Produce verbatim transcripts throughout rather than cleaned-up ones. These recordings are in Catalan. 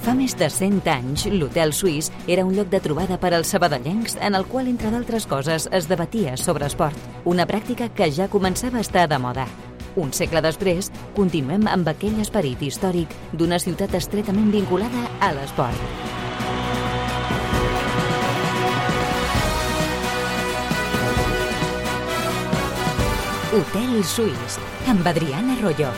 Fa més de cent anys, l'Hotel Suís era un lloc de trobada per als sabadellencs en el qual, entre d'altres coses, es debatia sobre esport, una pràctica que ja començava a estar de moda. Un segle després, continuem amb aquell esperit històric d'una ciutat estretament vinculada a l'esport. Hotel Suís, amb Adriana Royo.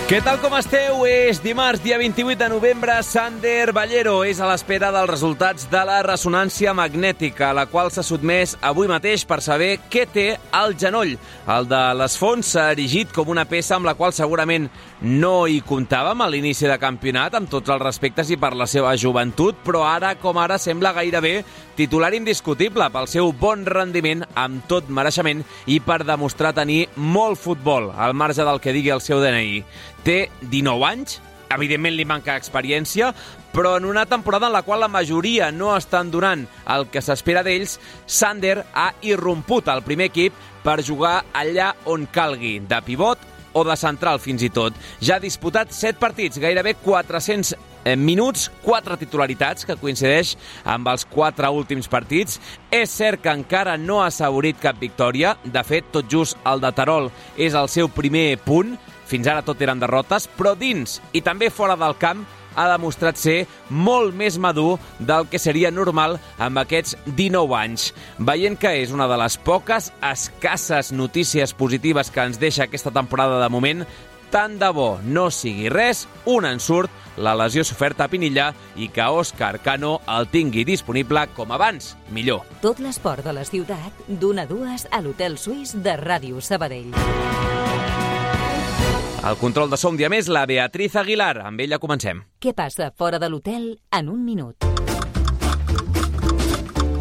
Què tal com esteu? És dimarts, dia vint-i-vuit de novembre. Sander Ballero és a l'espera dels resultats de la ressonància magnètica, a la qual s'ha sotmès avui mateix per saber què té al genoll. El de les Fonts s'ha erigit com una peça amb la qual segurament no hi comptàvem a l'inici de campionat, amb tots els respectes i per la seva joventut, però ara com ara sembla gairebé titular indiscutible pel seu bon rendiment, amb tot mereixement i per demostrar tenir molt futbol, al marge del que digui el seu D N I. Té dinou anys, evidentment li manca experiència, però en una temporada en la qual la majoria no estan donant el que s'espera d'ells, Sander ha irromput al primer equip per jugar allà on calgui, de pivot o de central fins i tot. Ja ha disputat set partits, gairebé quatre-cents minuts, quatre titularitats, que coincideix amb els quatre últims partits. És cert que encara no ha assaborit cap victòria, de fet, tot just el de Terol és el seu primer punt, fins ara tot eren derrotes, però dins i també fora del camp ha demostrat ser molt més madur del que seria normal amb aquests dinou anys. Veient que és una de les poques escasses notícies positives que ens deixa aquesta temporada de moment, tant de bo no sigui res, un ensurt, la lesió soferta a Pinilla i que Òscar Cano el tingui disponible com abans, millor. Tot l'esport de la ciutat, d'una a dues a l'Hotel Suís de Ràdio Sabadell. El control de so un dia més, la Beatriz Aguilar. Amb ella comencem. Què passa fora de l'hotel en un minut?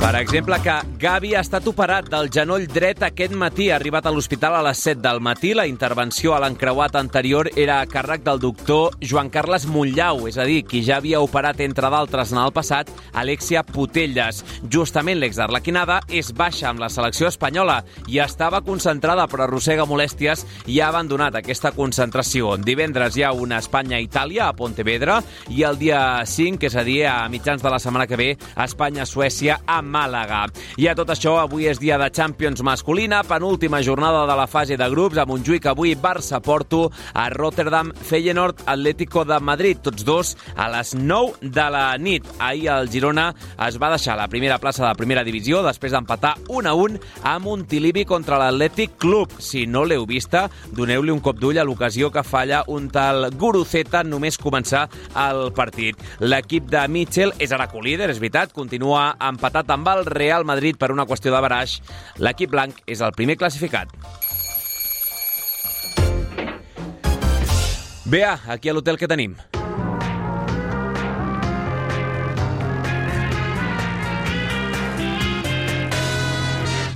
Per exemple, que Gavi ha estat operat del genoll dret aquest matí. Ha arribat a l'hospital a les set del matí. La intervenció a l'encreuat anterior era a càrrec del doctor Joan Carles Monllau, és a dir, qui ja havia operat, entre d'altres, en el passat, Alexia Putellas. Justament l'exarlequinada és baixa amb la selecció espanyola i estava concentrada, però arrossega molèsties i ha abandonat aquesta concentració. Divendres hi ha una Espanya-Itàlia a Pontevedra i el dia cinc, és a dir, a mitjans de la setmana que ve, Espanya-Suècia a Màlaga. I a tot això, avui és dia de Champions masculina, penúltima jornada de la fase de grups, a Montjuïc avui Barça-Porto, a Rotterdam Feyenoord Atlético de Madrid, tots dos a les nou de la nit. Ahir el Girona es va deixar la primera plaça de la primera divisió després d'empatar un a un a Montilivi contra l'Atlètic Club. Si no l'heu vista, doneu-li un cop d'ull a l'ocasió que falla un tal Guruceta només començar el partit. L'equip de Mitchell és ara co-líder, és veritat, continua empatat amb el Real Madrid per una qüestió de baraix. L'equip blanc és el primer classificat. Bea, aquí a l'hotel què tenim?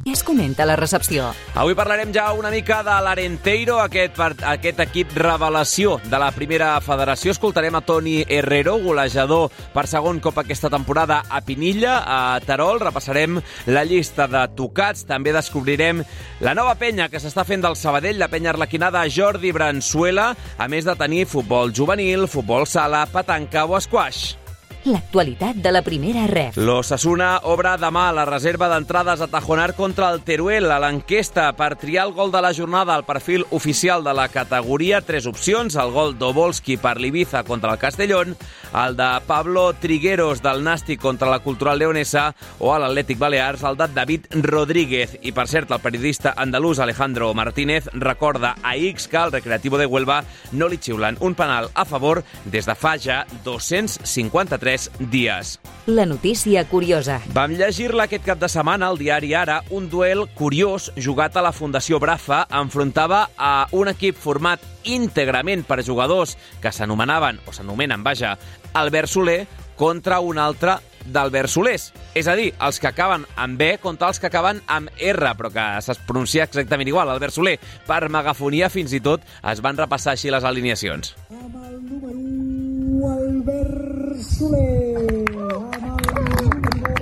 Es comenta la recepció. Avui parlarem ja una mica de l'Arenteiro, aquest, aquest equip revelació de la primera federació. Escoltarem a Toni Herrero, golejador per segon cop aquesta temporada a Pinilla, a Terol. Repassarem la llista de tocats. També descobrirem la nova penya que s'està fent del Sabadell, la penya arlequinada Jordi Bransuela, a més de tenir futbol juvenil, futbol sala, petanca o esquaix. L'actualitat de la primera ref. L'Osasuna obre demà la reserva d'entrades a Tajonar contra el Teruel. A l'enquesta per triar el gol de la jornada al perfil oficial de la categoria, tres opcions: el gol d'Obolski per l'Ibiza contra el Castellón, el de Pablo Trigueros del Nàstic contra la Cultural Leonesa o a l'Atlètic Balears el de David Rodríguez. I per cert, el periodista andalús Alejandro Martínez recorda a X que al Recreativo de Huelva no li xiulen un penal a favor des de fa ja dos-cents cinquanta-tres dies. La notícia curiosa. Vam llegir-la aquest cap de setmana al diari Ara. Un duel curiós jugat a la Fundació Brafa enfrontava a un equip format íntegrament per jugadors que s'anomenaven, o s'anomenen, vaja, Albert Soler contra un altre d'Albert Solers. És a dir, els que acaben amb B contra els que acaben amb R, però que es pronuncia exactament igual, Albert Soler. Per megafonia, fins i tot, es van repassar així les alineacions. Amb el número u, Albert Soler. Amb el número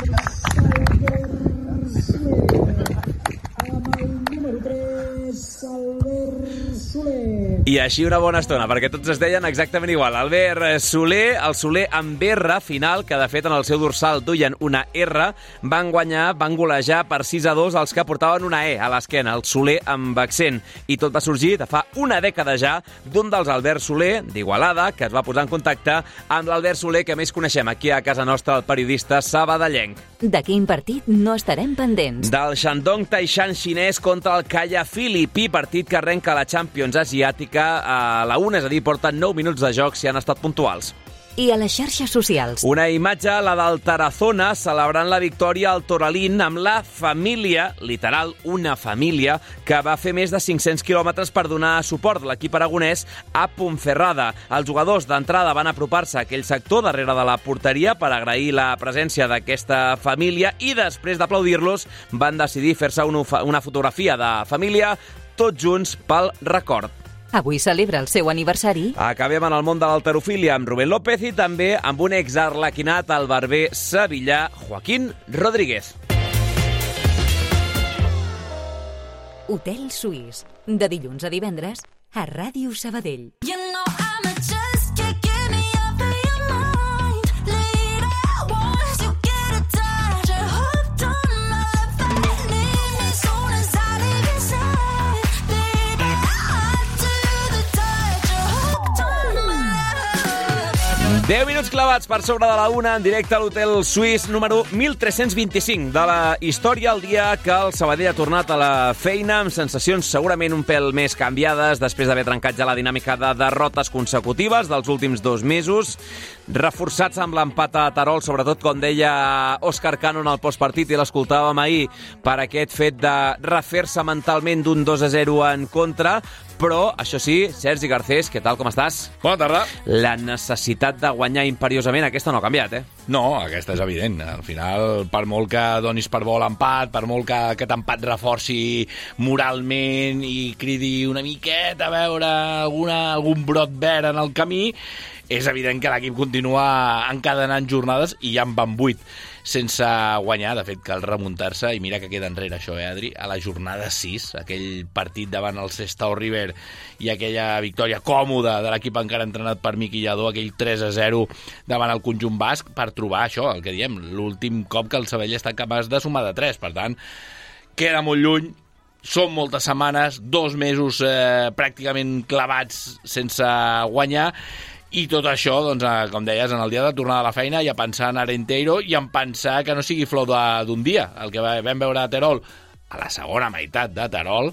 dos, Albert Soler. Amb I així una bona estona, perquè tots es deien exactament igual. Albert Soler, el Soler amb R final, que de fet en el seu dorsal duien una R, van guanyar, van golejar per sis a dos els que portaven una E a l'esquena, el Soler amb accent. I tot va sorgir de fa una dècada ja d'un dels Albert Soler, d'Igualada, que es va posar en contacte amb l'Albert Soler que més coneixem aquí a casa nostra, el periodista sabadellenc. De quin partit no estarem pendents? Del Shandong Taishan xinès contra el Kaya filipí, partit que arrenca la Champions asiàtica a la una, és a dir, porten nou minuts de joc si han estat puntuals. I a les xarxes socials? Una imatge, la del Tarazona, celebrant la victòria al Toralín amb la família, literal, una família, que va fer més de cinc-cents quilòmetres per donar suport a l'equip aragonès a Ponferrada. Els jugadors d'entrada van apropar-se a aquell sector darrere de la porteria per agrair la presència d'aquesta família i després d'aplaudir-los van decidir fer-se una fotografia de família tots junts pel record. Avui celebra el seu aniversari. Acabem en el món de l'halterofília amb Rubén López i també amb un exarlequinat, el barber sevillà Joaquín Rodríguez. Hotel Suís, de dilluns a divendres a Ràdio Sabadell. You know I'm a just can't get me off of your mind. Later, once you get attached, you're hooked on my love and you need me soon as I leave your side. Baby, I do the touch, you're hooked on my love. deu minuts clavats per sobre de la una en directe a l'Hotel Suís número mil tres-cents vint-i-cinc de la història, el dia que el Sabadell ha tornat a la feina amb sensacions segurament un pèl més canviades després d'haver trencat ja la dinàmica de derrotes consecutives dels últims dos mesos, reforçats amb l'empat a Terol, sobretot com deia Òscar Cano en el postpartit i l'escoltàvem ahir, per aquest fet de refer-se mentalment d'un dos a zero en contra. Però, això sí, Sergi Garcés, què tal, com estàs? Bona tarda. La necessitat de guanyar imperiosament, aquesta no ha canviat, eh? No, aquesta és evident. Al final, per molt que donis per bo l'empat, per molt que aquest empat reforci moralment i cridi una miqueta a veure alguna, algun brot verd en el camí, és evident que l'equip continua encadenant jornades i ja en van vuit sense guanyar. De fet, cal remuntar-se i mira que queda enrere això, eh, Adri? A la jornada sis, aquell partit davant el Sestao River i aquella victòria còmoda de l'equip encara entrenat per Miqui Lladó, aquell tres a zero davant el conjunt basc, per trobar això, el que diem, l'últim cop que el Sabadell està capaç de sumar de tres. Per tant, queda molt lluny, són moltes setmanes, dos mesos eh, pràcticament clavats sense guanyar. I tot això, doncs, com deies, en el dia de tornar a la feina i a pensar en Arenteiro i en pensar que no sigui flor d'un dia. El que vam veure a Terol, a la segona meitat de Terol,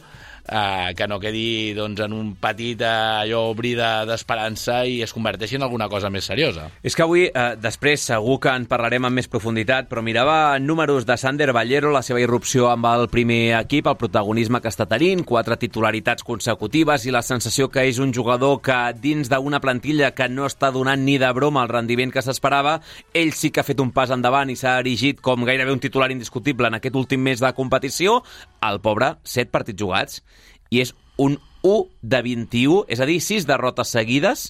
eh, que no quedi doncs, en un petit eh, allò brida d'esperança i es converteixi en alguna cosa més seriosa. És que avui, eh, després, segur que en parlarem amb més profunditat, però mirava números de Sander Ballero, la seva irrupció amb el primer equip, el protagonisme que està tenint, quatre titularitats consecutives i la sensació que és un jugador que dins d'una plantilla que no està donant ni de broma el rendiment que s'esperava, ell sí que ha fet un pas endavant i s'ha erigit com gairebé un titular indiscutible en aquest últim mes de competició. El pobre, set partits jugats, i és un u de vint-i-u, és a dir, sis derrotes seguides.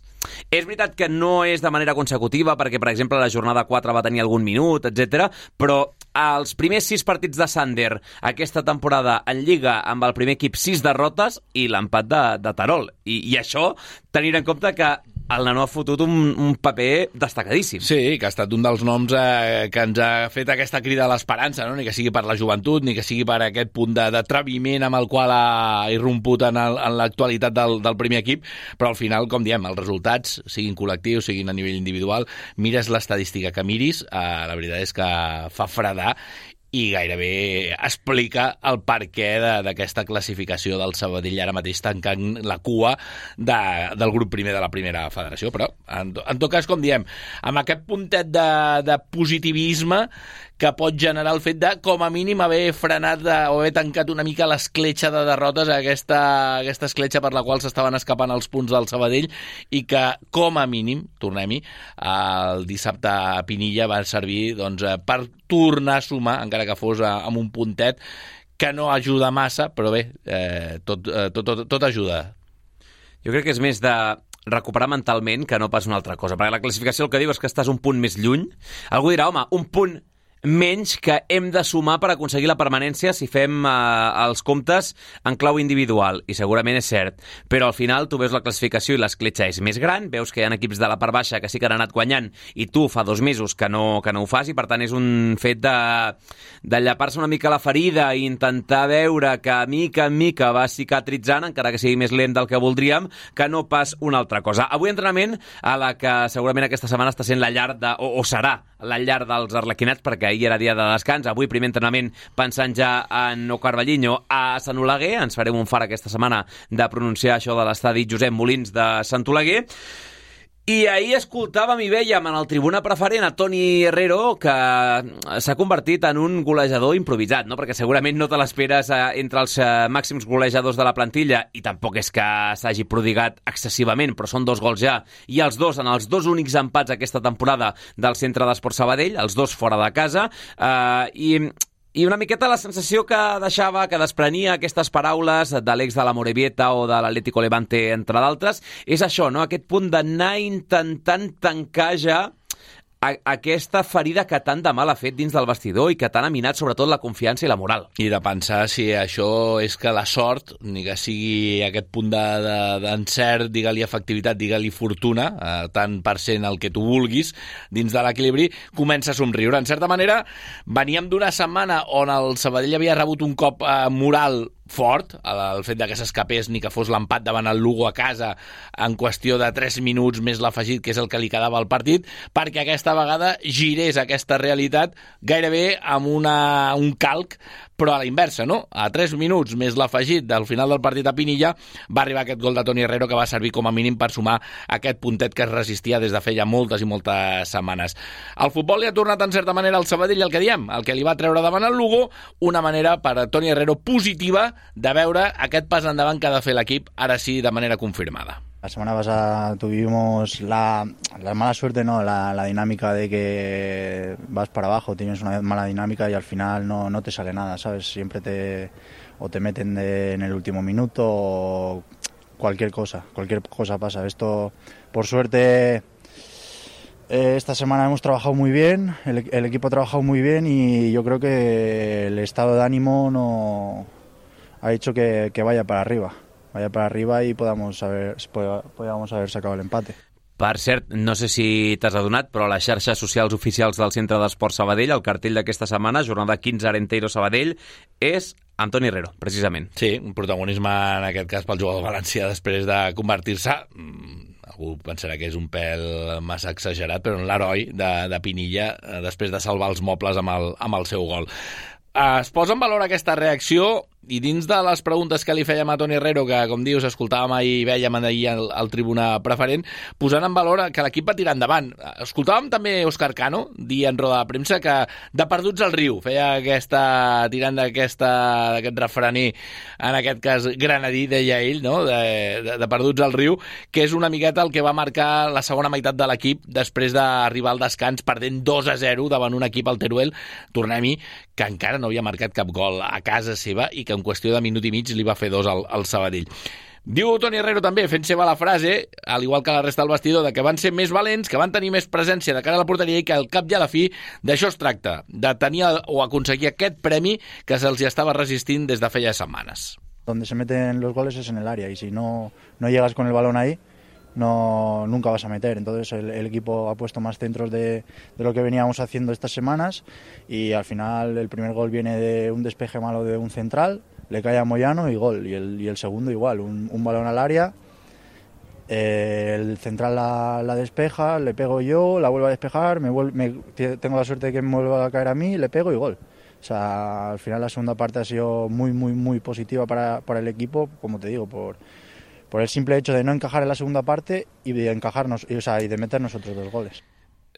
És veritat que no és de manera consecutiva, perquè, per exemple, la jornada quatre va tenir algun minut, etcètera, però els primers sis partits de Sander aquesta temporada en Lliga amb el primer equip, sis derrotes i l'empat de, de Terol. I, I això, tenint en compte que el nano ha fotut un, un paper destacadíssim. Sí, que ha estat un dels noms eh, que ens ha fet aquesta crida a l'esperança, no? Ni que sigui per la joventut, ni que sigui per aquest punt d'atreviment amb el qual ha irromput en, el, en l'actualitat del, del primer equip, però al final, com diem, els resultats, siguin col·lectius, siguin a nivell individual, mires l'estadística que miris, eh, la veritat és que fa fredar i gairebé explica el perquè d'aquesta classificació del Sabadell ara mateix tancant la cua de, del grup primer de la primera federació. Però, en, en tot cas, com diem, amb aquest puntet de, de positivisme que pot generar el fet de, com a mínim, haver frenat de, o haver tancat una mica l'escletxa de derrotes, aquesta, aquesta escletxa per la qual s'estaven escapant els punts del Sabadell i que, com a mínim, tornem-hi, el dissabte a Pinilla va servir doncs, per tornar a sumar, encara que fos amb un puntet, que no ajuda massa, però bé, eh, tot, tot, tot, tot ajuda. Jo crec que és més de recuperar mentalment que no pas una altra cosa, perquè la classificació el que diu és que estàs un punt més lluny. Algú dirà, home, un punt menys que hem de sumar per aconseguir la permanència si fem eh, els comptes en clau individual, i segurament és cert, però al final tu veus la classificació i l'escletxa és més gran, veus que hi ha equips de la part baixa que sí que han anat guanyant i tu fa dos mesos que no, que no ho fas, i per tant és un fet de, de llapar-se una mica la ferida i intentar veure que mica en mica va cicatritzant, encara que sigui més lent del que voldríem, que no pas una altra cosa. Avui entrenament a la que segurament aquesta setmana està sent la llar de, o, o serà la llar dels arlequinats, perquè ahir era dia de descans. Avui primer entrenament pensant ja en O Carballiño a Sant Oleguer. Ens farem un far aquesta setmana de pronunciar això de l'estadi Josep Molins de Sant Oleguer. I ahir escoltàvem i vèiem en el tribuna preferent a Toni Herrero, que s'ha convertit en un golejador improvisat, no? Perquè segurament no te l'esperes entre els màxims golejadors de la plantilla, i tampoc és que s'hagi prodigat excessivament, però són dos gols ja, i els dos en els dos únics empats aquesta temporada del Centre d'Esport Sabadell, els dos fora de casa, eh, i... I una miqueta la sensació que deixava, que desprenia aquestes paraules de l'ex de la Morevieta o de l'Atlético Levante, entre d'altres, és això, no? Aquest punt d'anar intentant tancar ja a aquesta ferida que tant de mal ha fet dins del vestidor i que tant ha minat sobretot la confiança i la moral. I de pensar si això és que la sort, ni que sigui aquest punt d'encert, de, de, digue-li efectivitat, digue-li fortuna, eh, tant per cent el que tu vulguis, dins de l'equilibri, comença a somriure. En certa manera, veníem d'una setmana on el Sabadell havia rebut un cop eh, moral fort, el fet de que s'escapés ni que fos l'empat davant el Lugo a casa en qüestió de tres minuts més l'afegit, que és el que li quedava al partit, perquè aquesta vegada girés aquesta realitat gairebé amb una, un calc, però a la inversa, no? A tres minuts més l'afegit del final del partit a Pinilla va arribar aquest gol de Toni Herrero que va servir com a mínim per sumar aquest puntet que es resistia des de feia moltes i moltes setmanes. El futbol li ha tornat en certa manera al Sabadell, el que diem, el que li va treure davant el Lugo, una manera per a Toni Herrero positiva de veure aquest pas endavant que ha de fer l'equip, ara sí, de manera confirmada. La semana pasada tuvimos la, la mala suerte, no, la, la dinámica de que vas para abajo, tienes una mala dinámica y al final no, no te sale nada, ¿sabes? Siempre te, o te meten de, en el último minuto o cualquier cosa, cualquier cosa pasa. Esto, por suerte, eh, esta semana hemos trabajado muy bien, el, el equipo ha trabajado muy bien y yo creo que el estado de ánimo no ha hecho que, que vaya para arriba. vaya para arriba i podamos haber, podamos haver sacado el empate. Per cert, no sé si t'has adonat, però a les xarxes socials oficials del Centre d'Esport Sabadell, el cartell d'aquesta setmana, jornada quinze Arenteiro Sabadell, és Antoni Herrero, precisament. Sí, un protagonisme en aquest cas pel jugador valencià després de convertir-se, algú pensarà que és un pèl massa exagerat, però en l'heroi de, de Pinilla, després de salvar els mobles amb el, amb el seu gol. Es posa en valor aquesta reacció i dins de les preguntes que li fèiem a Toni Herrero, que com dius escoltàvem ahir i vèiem ahir al, al tribuna preferent, posant en valor que l'equip va tirar endavant. Escoltàvem també Òscar Cano dir en roda de premsa que de perduts al riu, feia aquesta, tirant d'aquesta d'aquest refrener, en aquest cas granadí, deia ell, no? de, de, de perduts al riu, que és una miqueta el que va marcar la segona meitat de l'equip després d'arribar al descans perdent dos a zero davant un equip, el Teruel, tornem-hi, que encara no havia marcat cap gol a casa seva i que en qüestió de minut i mig li va fer dos al, al Sabadell. Diu Toni Herrero també, fent seva la frase, al igual que la resta del vestidor, de que van ser més valents, que van tenir més presència de cara a la porteria i que al cap i a la fi d'això es tracta, de tenir o aconseguir aquest premi que se'ls estava resistint des de feia setmanes. Donde se meten los goles es en el área y si no, no llegas con el balón ahí, no, nunca vas a meter. Entonces el, el equipo ha puesto más centros de, de lo que veníamos haciendo estas semanas y al final el primer gol viene de un despeje malo de un central, le cae a Moyano y gol, y el, y el segundo igual, un, un balón al área, eh, el central la, la despeja, le pego yo, la vuelvo a despejar, me, vuelve, me tengo la suerte de que me vuelva a caer a mí, le pego y gol. O sea, al final la segunda parte ha sido muy, muy, muy positiva para, para el equipo, como te digo, por... por el simple hecho de no encajar en la segunda parte y de encajarnos, o sea, y de meter nosotros dos goles.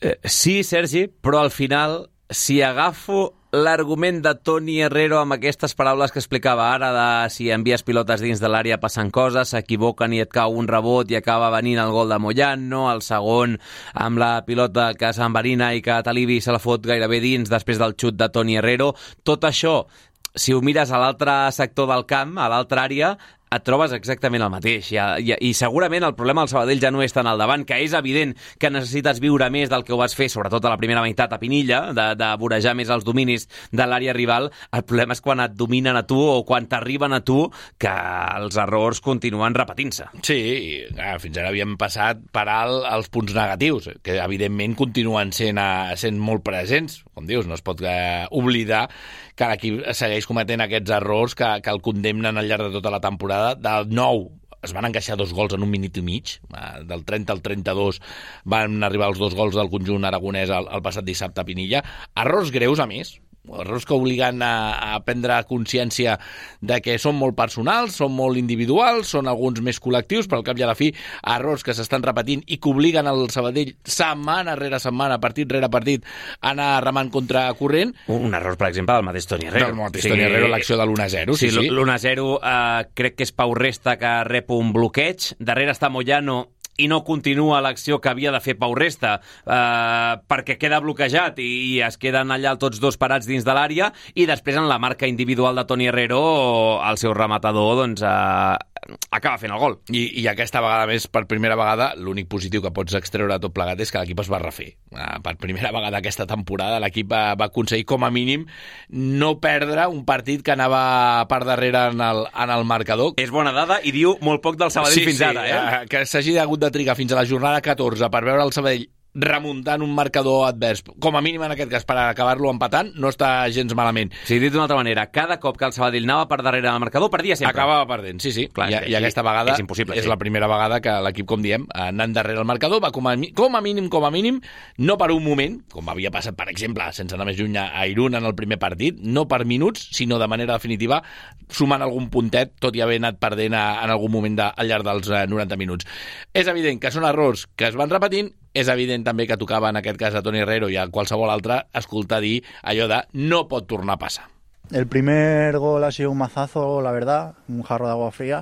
Eh, sí, Sergi, però al final, si agafo l'argument de Toni Herrero amb aquestes paraules que explicava ara de si envies pilotes dins de l'àrea passen coses, s'equivoquen i et cau un rebot i acaba venint el gol de Moyano, el segon amb la pilota que s'enverina i que Talibi se la fot gairebé dins després del xut de Toni Herrero, tot això, si ho mires a l'altre sector del camp, a l'altra àrea, et trobes exactament el mateix. I, i, i segurament el problema del Sabadell ja no és tant al davant, que és evident que necessites viure més del que ho vas fer, sobretot a la primera meitat a Pinilla, de, de vorejar més els dominis de l'àrea rival. El problema és quan et dominen a tu o quan t'arriben a tu, que els errors continuen repetint-se. Sí, clar, fins ara havíem passat per alt els punts negatius, que evidentment continuen sent, a, sent molt presents. Com dius, no es pot eh, oblidar que l'equip segueix cometent aquests errors que, que el condemnen al llarg de tota la temporada. Del nou es van encaixar dos gols en un minut i mig, del trenta al trenta-dos van arribar els dos gols del conjunt aragonès el, el passat dissabte a Pinilla. Errors greus, a més, errors que obliguen a, a prendre consciència de que són molt personals, són molt individuals, són alguns més col·lectius, però al cap i a la fi, errors que s'estan repetint i que obliguen el Sabadell setmana rere setmana, partit rere partit, a anar remant contra corrent. Un error, per exemple, del mateix Toni Herrero. Del mateix sí, Toni Herrero, l'acció de l'u a zero. Sí, sí. L'u a zero eh, crec que és Pau Resta que rep un bloqueig, darrere està Moyano i no continua l'acció que havia de fer Pau Resta eh, perquè queda bloquejat i, i es queden allà tots dos parats dins de l'àrea, i després en la marca individual de Toni Herrero el seu rematador doncs, eh, acaba fent el gol. I, i aquesta vegada més, per primera vegada, l'únic positiu que pots extreure de tot plegat és que l'equip es va refer. Eh, per primera vegada aquesta temporada l'equip va, va aconseguir com a mínim no perdre un partit que anava per darrere en el, en el marcador. És bona dada i diu molt poc del Sabadell sí, fins sí, ara. Eh? Que s'hagi hagut de trigar fins a la jornada catorze per veure el Sabadell remuntant un marcador advers, com a mínim en aquest cas per acabar-lo empatant, no està gens malament. Sí, dit d'una altra manera, cada cop que el Sabadell anava per darrere del marcador, perdia sempre. Acabava perdent, sí, sí. Clar, I, i aquesta vegada és, impossible, és sí. la primera vegada que l'equip, com diem, anant darrere el marcador, va com a, com a mínim, com a mínim, no per un moment, com havia passat, per exemple, sense anar més lluny a Irún en el primer partit, no per minuts, sinó de manera definitiva, sumant algun puntet, tot i haver anat perdent a, en algun moment de, al llarg dels eh, noranta minuts. És evident que són errors que es van repetint. És evident també que tocava en aquest cas a Toni Herrero i a qualsevol altre escoltar dir allò de no pot tornar a passar. El primer gol ha sido un mazazo, la verdad, un jarro de agua fría,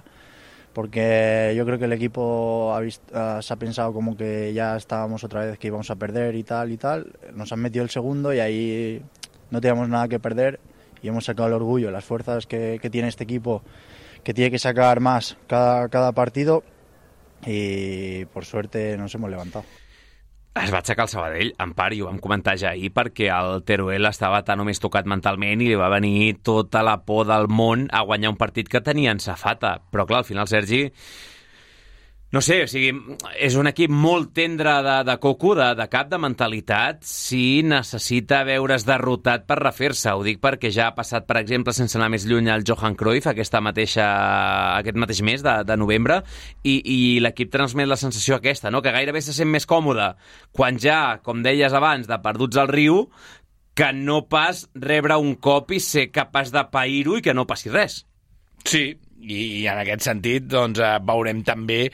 porque yo creo que el equipo ha visto, uh, se ha pensado como que ya estábamos otra vez que íbamos a perder y tal y tal. Nos han metido el segundo y ahí no teníamos nada que perder y hemos sacado el orgullo, las fuerzas que, que tiene este equipo, que tiene que sacar más cada, cada partido, y por suerte nos hemos levantado. Es va aixecar el Sabadell, en part, i ho vam comentar ja ahir, perquè el Teruel estava tan o més tocat mentalment i li va venir tota la por del món a guanyar un partit que tenia en safata. Però clar, al final, Sergi, no sé, o sigui, és un equip molt tendre de, de coco, de, de cap, de mentalitat, si necessita veure's derrotat per refer-se. Ho dic perquè ja ha passat, per exemple, sense anar més lluny, el Johan Cruyff aquesta mateixa, aquest mateix mes de, de novembre, i, i l'equip transmet la sensació aquesta, no? Que gairebé se sent més còmode quan ja, com deies abans, de perduts al riu, que no pas rebre un cop i ser capaç de pair-ho i que no passi res. Sí, i en aquest sentit doncs, veurem també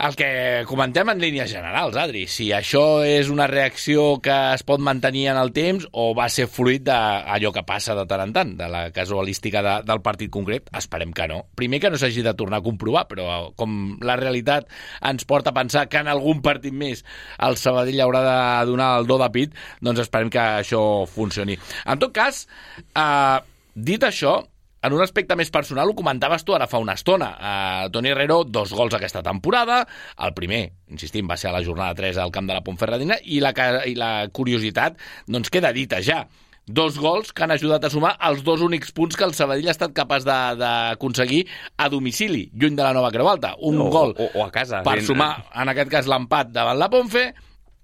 el que comentem en línies generals, Adri. Si això és una reacció que es pot mantenir en el temps o va ser fruit d'allò que passa de tant en tant, de la casualística de, del partit concret, esperem que no. Primer, que no s'hagi de tornar a comprovar, però com la realitat ens porta a pensar que en algun partit més el Sabadell haurà de donar el do de pit, doncs esperem que això funcioni. En tot cas, eh, dit això, en un aspecte més personal, ho comentaves tu ara fa una estona. Uh, Toni Herrero, dos gols aquesta temporada. El primer, insistim, va ser a la jornada tres al camp de la Ponferradina, i la, i la curiositat doncs queda dita ja. Dos gols que han ajudat a sumar els dos únics punts que el Sabadell ha estat capaç d'aconseguir a domicili, lluny de la Nova Creu Alta. Un o, gol o, o a casa, per ben... sumar, en aquest cas, l'empat davant la Ponfe,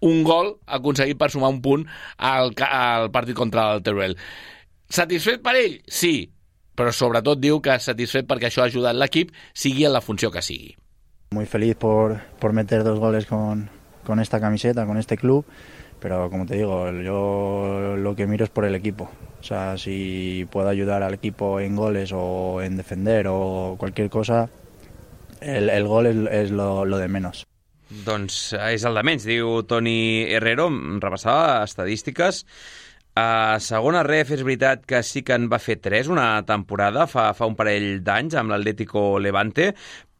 un gol aconseguit per sumar un punt al, al partit contra el Teruel. Satisfet per ell? Sí, però sobretot diu que satisfet perquè això ha ajudat l'equip, sigui en la funció que sigui. Muy feliz por, por meter dos goles con, con esta camiseta, con este club, pero como te digo, yo lo que miro es por el equipo. O sea, si puedo ayudar al equipo en goles o en defender o cualquier cosa, el, el gol es, es lo, lo de menos. Doncs és el de menys, diu Toni Herrero. Repassava estadístiques. A segona ref és veritat que sí que en va fer tres una temporada, fa, fa un parell d'anys, amb l'Atlético Levante,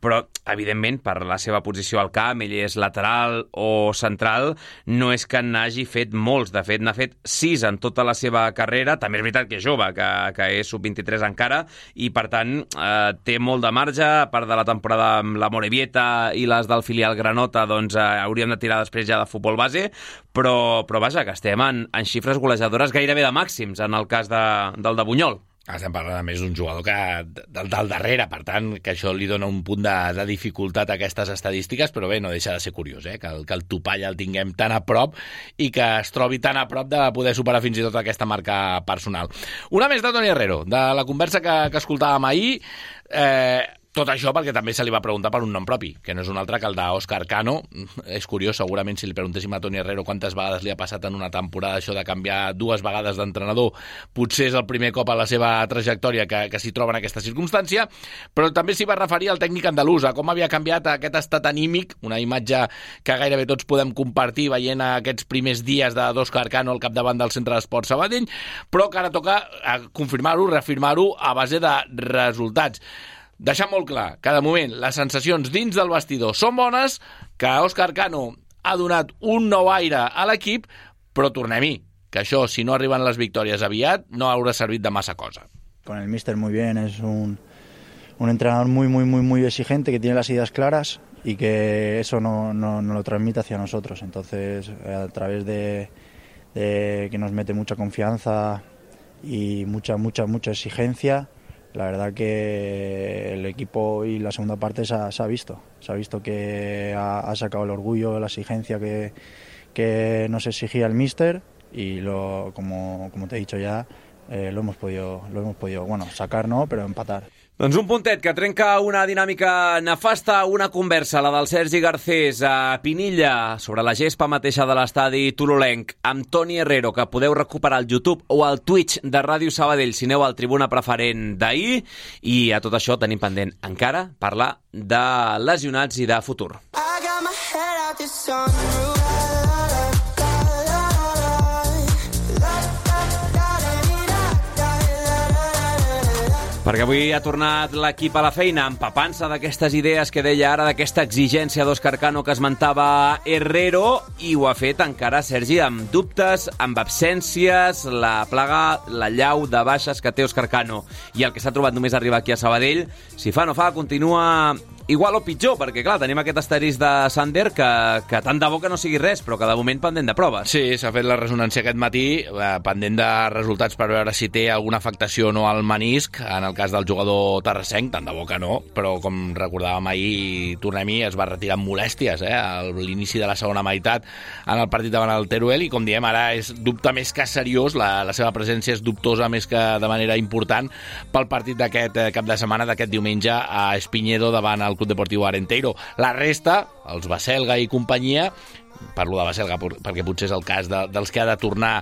però, evidentment, per la seva posició al camp, ell és lateral o central, no és que n'hagi fet molts. De fet, n'ha fet sis en tota la seva carrera. També és veritat que és jove, que, que és sub vint-i-tres encara, i, per tant, eh, té molt de marge. A part de la temporada amb la Morevieta i les del filial Granota, doncs eh, hauríem de tirar després ja de futbol base, però, però vaja, que estem en, en xifres golejadores gairebé de màxims, en el cas de, del de Bunyol. Estem parlant, a més, d'un jugador que del, del darrere, per tant, que això li dona un punt de, de dificultat a aquestes estadístiques, però bé, no deixa de ser curiós, eh? que, el, que el topall el tinguem tan a prop i que es trobi tan a prop de poder superar fins i tot aquesta marca personal. Una més de Toni Herrero, de la conversa que, que escoltàvem ahir, eh, tot això perquè també se li va preguntar per un nom propi, que no és un altre que el d'Òscar Cano. És curiós, segurament, si li preguntéssim a Toni Herrero quantes vegades li ha passat en una temporada això de canviar dues vegades d'entrenador, potser és el primer cop a la seva trajectòria que, que s'hi troba en aquesta circumstància, però també s'hi va referir al tècnic andalús, a com havia canviat aquest estat anímic, una imatge que gairebé tots podem compartir veient aquests primers dies d'Òscar Cano al capdavant del Centre d'Esports Sabadell, però que ara toca confirmar-ho, reafirmar-ho a base de resultats. Deixar molt clar que, de moment, les sensacions dins del vestidor són bones, que Òscar Cano ha donat un nou aire a l'equip, però tornem-hi, que això, si no arriben les victòries aviat, no haurà servit de massa cosa. Con el míster muy bien, es un, un entrenador muy, muy, muy, muy exigente, que tiene las ideas claras y que eso no, no, no lo transmite hacia nosotros. Entonces, a través de, de que nos mete mucha confianza y mucha, mucha, mucha exigencia, la verdad que el equipo y la segunda parte se ha, se ha visto. Se ha visto que ha, ha sacado el orgullo, la exigencia que, que nos exigía el míster y lo, como, como te he dicho ya, eh, lo hemos podido, lo hemos podido, bueno, sacar no, pero empatar. Doncs un puntet que trenca una dinàmica nefasta, una conversa, la del Sergi Garcés a Pinilla, sobre la gespa mateixa de l'estadi tololenc, amb Toni Herrero, que podeu recuperar al YouTube o al Twitch de Ràdio Sabadell si aneu al Tribuna Preferent d'ahir, i a tot això tenim pendent encara parlar de lesionats i de futur. I got my head out the sunroof. Perquè avui ha tornat l'equip a la feina, empapant-se d'aquestes idees que deia ara, d'aquesta exigència d'Òscar Cano que esmentava Herrero, i ho ha fet encara, Sergi, amb dubtes, amb absències, la plaga, la llau de baixes que té Òscar Cano i el que s'ha trobat només arribar aquí a Sabadell, si fa no fa, continua igual o pitjor, perquè clar, tenim aquest asterisc de Sander que, que tant de bo que no sigui res, però que de moment pendent de proves. Sí, s'ha fet la ressonància aquest matí, eh, pendent de resultats per veure si té alguna afectació o no al menisc, en el cas del jugador terrassenc, tant de bo que no, però com recordàvem ahir, tornem-hi, es va retirar amb molèsties, eh, a l'inici de la segona meitat en el partit davant el Teruel, i com diem, ara és dubte més que seriós, la, la seva presència és dubtosa més que de manera important pel partit d'aquest cap de setmana, d'aquest diumenge a Espiñedo davant el Club Deportiu Arenteiro. La resta, els Baselga i companyia, parlo de Baselga perquè potser és el cas de, dels que ha de tornar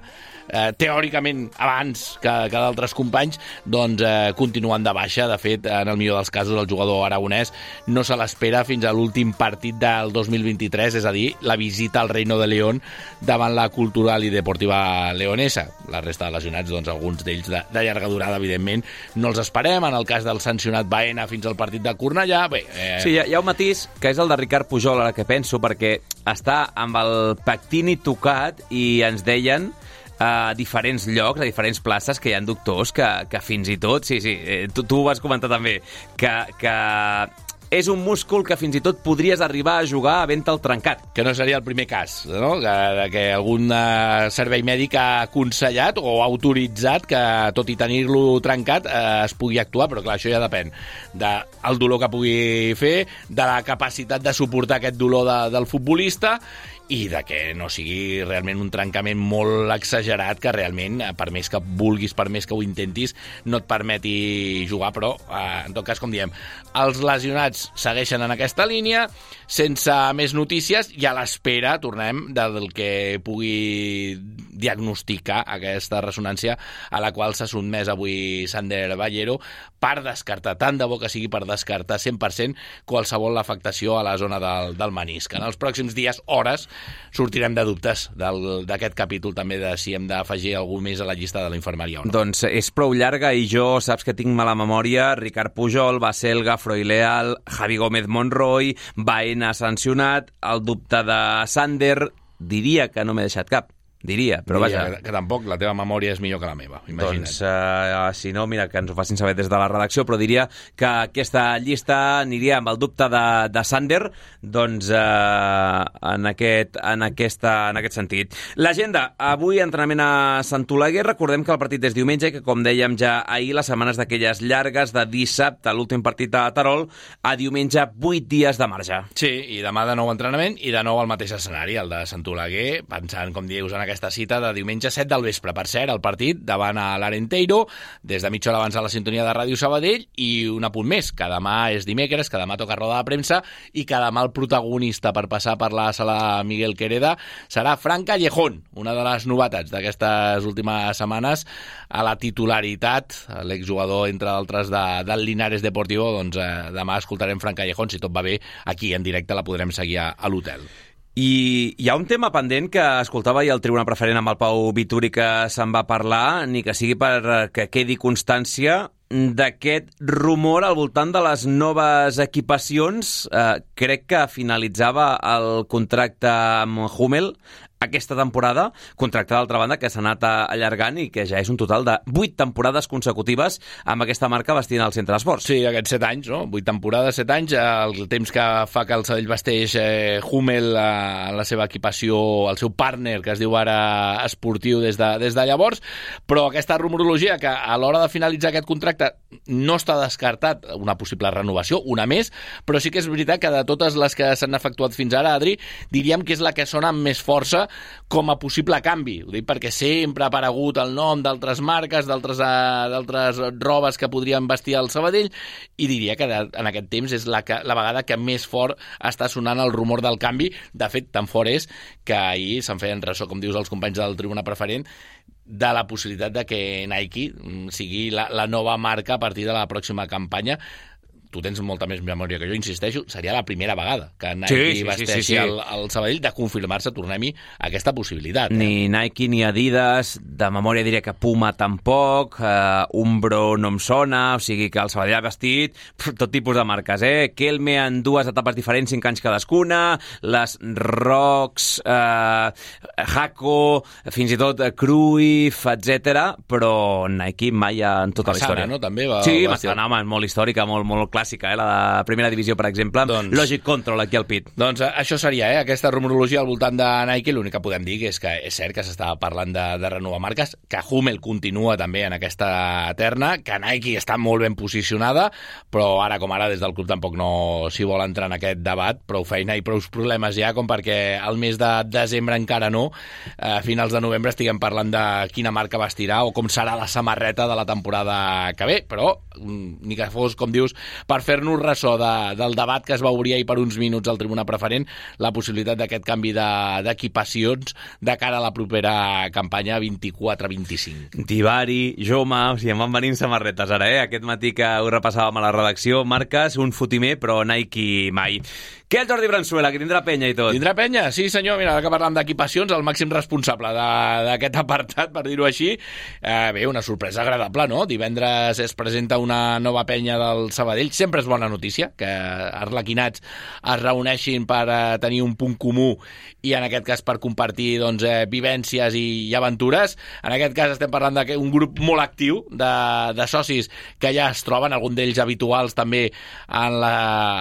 eh, teòricament abans que, que d'altres companys, doncs eh, continuen de baixa. De fet, en el millor dels casos, el jugador aragonès no se l'espera fins a l'últim partit del dos mil vint-i-tres, és a dir, la visita al Reino de León davant la Cultural i Deportiva Leonesa. La resta de lesionats, doncs alguns d'ells de, de llarga durada, evidentment, no els esperem. En el cas del sancionat Baena fins al partit de Cornellà, bé... Eh... Sí, hi ha, hi ha un matís, que és el de Ricard Pujol, ara que penso, perquè està amb el pectini tocat i ens deien a diferents llocs, a diferents places, que hi ha doctors que, que fins i tot, sí, sí, tu, tu ho vas comentar també, que, que és un múscul que fins i tot podries arribar a jugar havent-te'l trencat. Que no seria el primer cas, no? Que, que algun uh, servei mèdic ha aconsellat o ha autoritzat que, tot i tenir-lo trencat, uh, es pugui actuar, però clar, això ja depèn del dolor que pugui fer, de la capacitat de suportar aquest dolor de, del futbolista, i de que no sigui realment un trencament molt exagerat que realment, per més que vulguis, per més que ho intentis, no et permeti jugar, però eh, en tot cas, com diem, els lesionats segueixen en aquesta línia, sense més notícies, i a l'espera, tornem, del que pugui diagnosticar aquesta ressonància a la qual s'ha sotmès avui Sander Ballero per descartar, tant de bo que sigui per descartar cent per cent qualsevol afectació a la zona del, del menisc. En els pròxims dies, hores, sortirem de dubtes d'aquest capítol també de si hem d'afegir algú més a la llista de la infermeria o no. Doncs és prou llarga i jo, saps que tinc mala memòria, Ricard Pujol, Baselga, Froileal, Javi Gómez Monroy, Baena sancionat, el dubte de Sander, diria que no m'he deixat cap. Diria, però Diria vaja... Que, que tampoc la teva memòria és millor que la meva, imagina't. Doncs, uh, si no, mira, que ens ho facin saber des de la redacció, però diria que aquesta llista aniria amb el dubte de, de Sander, doncs, uh, en, aquest, en, aquesta, en aquest sentit. L'agenda, avui entrenament a Sant Oleguer, recordem que el partit és diumenge, que com dèiem ja ahir, les setmanes d'aquelles llargues de dissabte, l'últim partit a Terol, a diumenge, vuit dies de marge. Sí, i demà de nou entrenament i de nou al mateix escenari, el de Sant Oleguer, pensant, com dius, en aquesta cita de diumenge set del vespre. Per cert, el partit davant a l'Arenteiro, des de mitja hora abans a la sintonia de Ràdio Sabadell, i un apunt més, que demà és dimecres, que demà toca roda de premsa i que demà el protagonista per passar per la sala Miguel Quereda serà Fran Callejón, una de les novetats d'aquestes últimes setmanes a la titularitat, l'exjugador, entre altres, de, del Linares Deportivo. Doncs eh, demà escoltarem Fran Callejón, si tot va bé, aquí en directe la podrem seguir a, a l'hotel. I hi ha un tema pendent que escoltava ahir el Tribuna Preferent amb el Pau Vituri, que se'n va parlar, ni que sigui per que quedi constància d'aquest rumor al voltant de les noves equipacions. Eh, crec que finalitzava el contracte amb Hummel aquesta temporada, contracte d'altra banda que s'ha anat allargant i que ja és un total de vuit temporades consecutives amb aquesta marca vestint al centre d'esports. Sí, aquests set anys, no? Vuit temporades, set anys, el temps que fa que el Sabadell vesteix eh, Hummel en la seva equipació, el seu partner, que es diu ara esportiu des de, des de llavors, però aquesta rumorologia que a l'hora de finalitzar aquest contracte no està descartat una possible renovació, una més, però sí que és veritat que de totes les que s'han efectuat fins ara, Adri, diríem que és la que sona amb més força com a possible canvi. Ho dic perquè sempre ha aparegut el nom d'altres marques, d'altres d'altres robes que podrien vestir al Sabadell, i diria que de, en aquest temps és la, que, la vegada que més fort està sonant el rumor del canvi. De fet, tan fort és que ahir se'n feien ressò, com dius, els companys del Tribuna Preferent, de la possibilitat de que Nike sigui la, la nova marca a partir de la pròxima campanya. Tu tens molta més memòria que jo, insisteixo, seria la primera vegada que Nike sí, sí, vesteixi sí, sí, sí. El, el Sabadell, de confirmar-se, tornem-hi, aquesta possibilitat. Eh? Ni Nike ni Adidas, de memòria diria que Puma tampoc, uh, Umbro no em sona, o sigui que el Sabadell ha vestit tot tipus de marques, eh? Kelme en dues etapes diferents, cinc anys cadascuna, les Rocks, uh, Jaco, fins i tot Cruyff, etcètera, però Nike mai en tota Massana, la història. No? També va, sí, va Massana, home, molt històrica, molt, molt clàssica, eh? La de primera divisió, per exemple, doncs, Logic Control aquí al pit. Doncs això seria, eh? Aquesta rumorologia al voltant de Nike. L'únic que podem dir és que és cert que s'estava parlant de, de renovar marques, que Hummel continua també en aquesta terna, que Nike està molt ben posicionada, però ara com ara des del club tampoc no s'hi vol entrar en aquest debat. Prou feina i prou problemes ja com perquè al mes de desembre encara no, a finals de novembre estiguem parlant de quina marca vestirà o com serà la samarreta de la temporada que ve, però ni que fos, com dius, per fer-nos ressò de, del debat que es va obrir ahir per uns minuts al Tribuna Preferent, la possibilitat d'aquest canvi d'equipacions de, de cara a la propera campanya vint-i-quatre vint-i-cinc. Divari, Joma, o sigui, em van venint samarretes ara, eh? Aquest matí que ho repassàvem a la redacció, marques, un fotimer, però Nike mai. Què el Jordi Bransuela, que tindrà penya i tot? Tindrà penya? Sí, senyor. Mira, ara que parlam d'equipacions, el màxim responsable d'aquest apartat, per dir-ho així, eh, bé, una sorpresa agradable, no? Divendres es presenta una nova penya del Sabadell. Sempre és bona notícia que arlequinats es reuneixin per eh, tenir un punt comú i, en aquest cas, per compartir doncs, eh, vivències i, i aventures. En aquest cas estem parlant d'un grup molt actiu de, de socis que ja es troben, algun d'ells habituals també en la,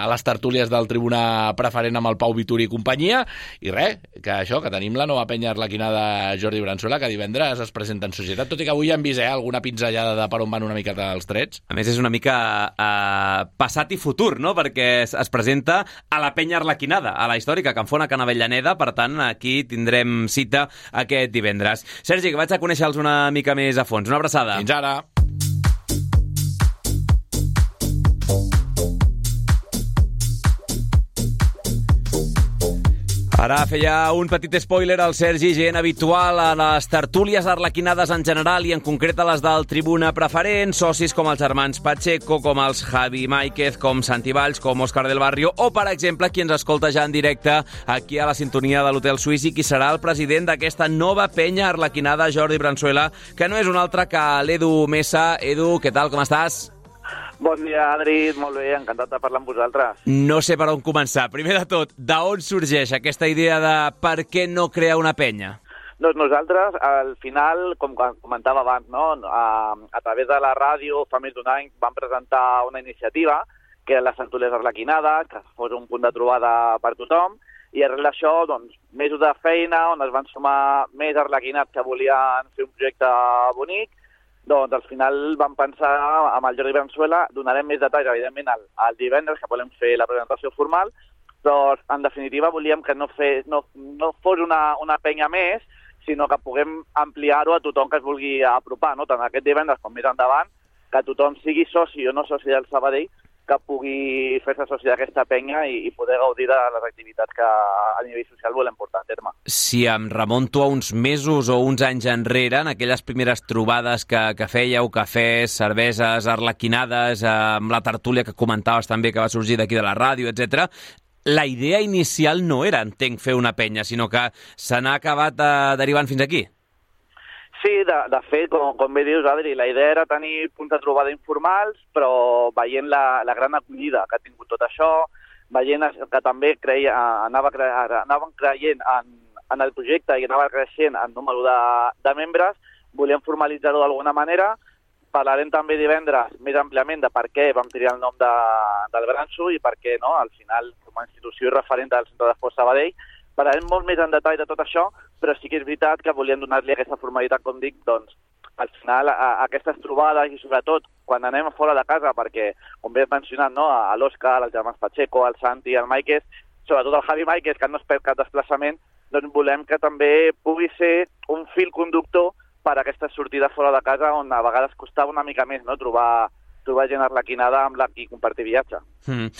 a les tertúlies del Tribuna Preferent amb el Pau Vituri i companyia, i res, que això, que tenim la nova penya arlequinada Jordi Bransuela, que divendres es presenta en societat, tot i que avui hem vist eh, alguna pinzellada de per on van una miqueta els trets. A més, és una mica eh, passat i futur, no?, perquè es, es presenta a la penya arlequinada, a la històrica Can Fona, Can Avellaneda, per tant, aquí tindrem cita aquest divendres. Sergi, que vaig a conèixer-los una mica més a fons. Una abraçada. Fins ara. Ara feia un petit spoiler al Sergi, gent habitual a les tertúlies arlequinades en general i en concret a les del Tribuna Preferent, socis com els germans Pacheco, com els Javi Máiquez, com Santi Valls, com Òscar del Barrio, o, per exemple, qui ens escolta ja en directe aquí a la sintonia de l'Hotel Suís i qui serà el president d'aquesta nova penya arlequinada, Jordi Bransuela, que no és un altre que l'Edu Mesa. Edu, què tal, com estàs? Bon dia, Adri. Molt bé, encantat de parlar amb vosaltres. No sé per on començar. Primer de tot, d'on sorgeix aquesta idea de per què no crear una penya? Doncs nosaltres, al final, com comentava abans, no? a, a través de la ràdio, fa més d'un any, vam presentar una iniciativa, que eren les tertúlies arlequinades, que fos un punt de trobada per tothom, i arrel d'això, doncs, mesos de feina, on es van sumar més arlequinats que volien fer un projecte bonic. Doncs al final vam pensar amb el Jordi Bransuela, donarem més detalls, evidentment, el, el divendres, que volem fer la presentació formal, però en definitiva volíem que no, fes, no, no fos una, una penya més, sinó que puguem ampliar-ho a tothom que es vulgui apropar, no? Tant aquest divendres com més endavant, que tothom sigui soci o no soci del Sabadell, que pugui fer-se soci d'aquesta penya i, i poder gaudir de les activitats que a nivell social volem portar a terme. Si em remonto a uns mesos o uns anys enrere, en aquelles primeres trobades que, que fèieu, cafès, cerveses, arlequinades, eh, amb la tertúlia que comentaves també que va sorgir d'aquí de la ràdio, etcètera, la idea inicial no era, entenc, fer una penya, sinó que se n'ha acabat eh, derivant fins aquí. Sí, de, de fet, com, com bé dius, Adri, la idea era tenir punts de trobada informals, però veient la, la gran acollida que ha tingut tot això, veient que també creia, anava, cre, anàvem creient en, en el projecte i anava creixent el número de, de membres, volíem formalitzar-ho d'alguna manera. Parlarem també divendres més àmpliament de per què vam triar el nom de, del Branso i per què, no, al final, com a institució i referent del Centre d'Esport Sabadell. Parlarem molt més en detall de tot això, però sí que és veritat que volíem donar-li aquesta formalitat, com dic, doncs, al final, a, a aquestes trobades i sobretot quan anem fora de casa, perquè, com bé he mencionat, no, a l'Òscar, als germans Pacheco, al Santi, al Máiquez, sobretot al Javi Máiquez, que no es perd cap desplaçament, doncs volem que també pugui ser un fil conductor per a aquestes sortides fora de casa, on a vegades costava una mica més, no?, trobar trobar gent arlequinada amb la qui compartir viatge. Mm.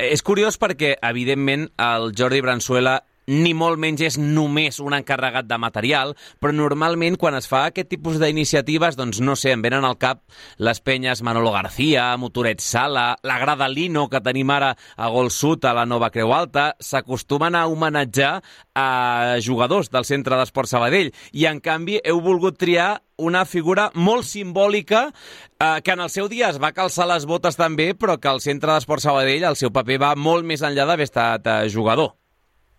És curiós perquè, evidentment, el Jordi Bransuela ni molt menys és només un encarregat de material, però normalment quan es fa aquest tipus d'iniciatives, doncs no sé, em venen al cap les penyes Manolo García, Motoret Sala, la Grada Lino que tenim ara a Gol Sud, a la Nova Creu Alta, s'acostumen a homenatjar a jugadors del Centre d'Esport Sabadell i en canvi heu volgut triar una figura molt simbòlica eh, que en el seu dia es va calçar les botes també, però que al Centre d'Esport Sabadell el seu paper va molt més enllà d'haver estat eh, jugador.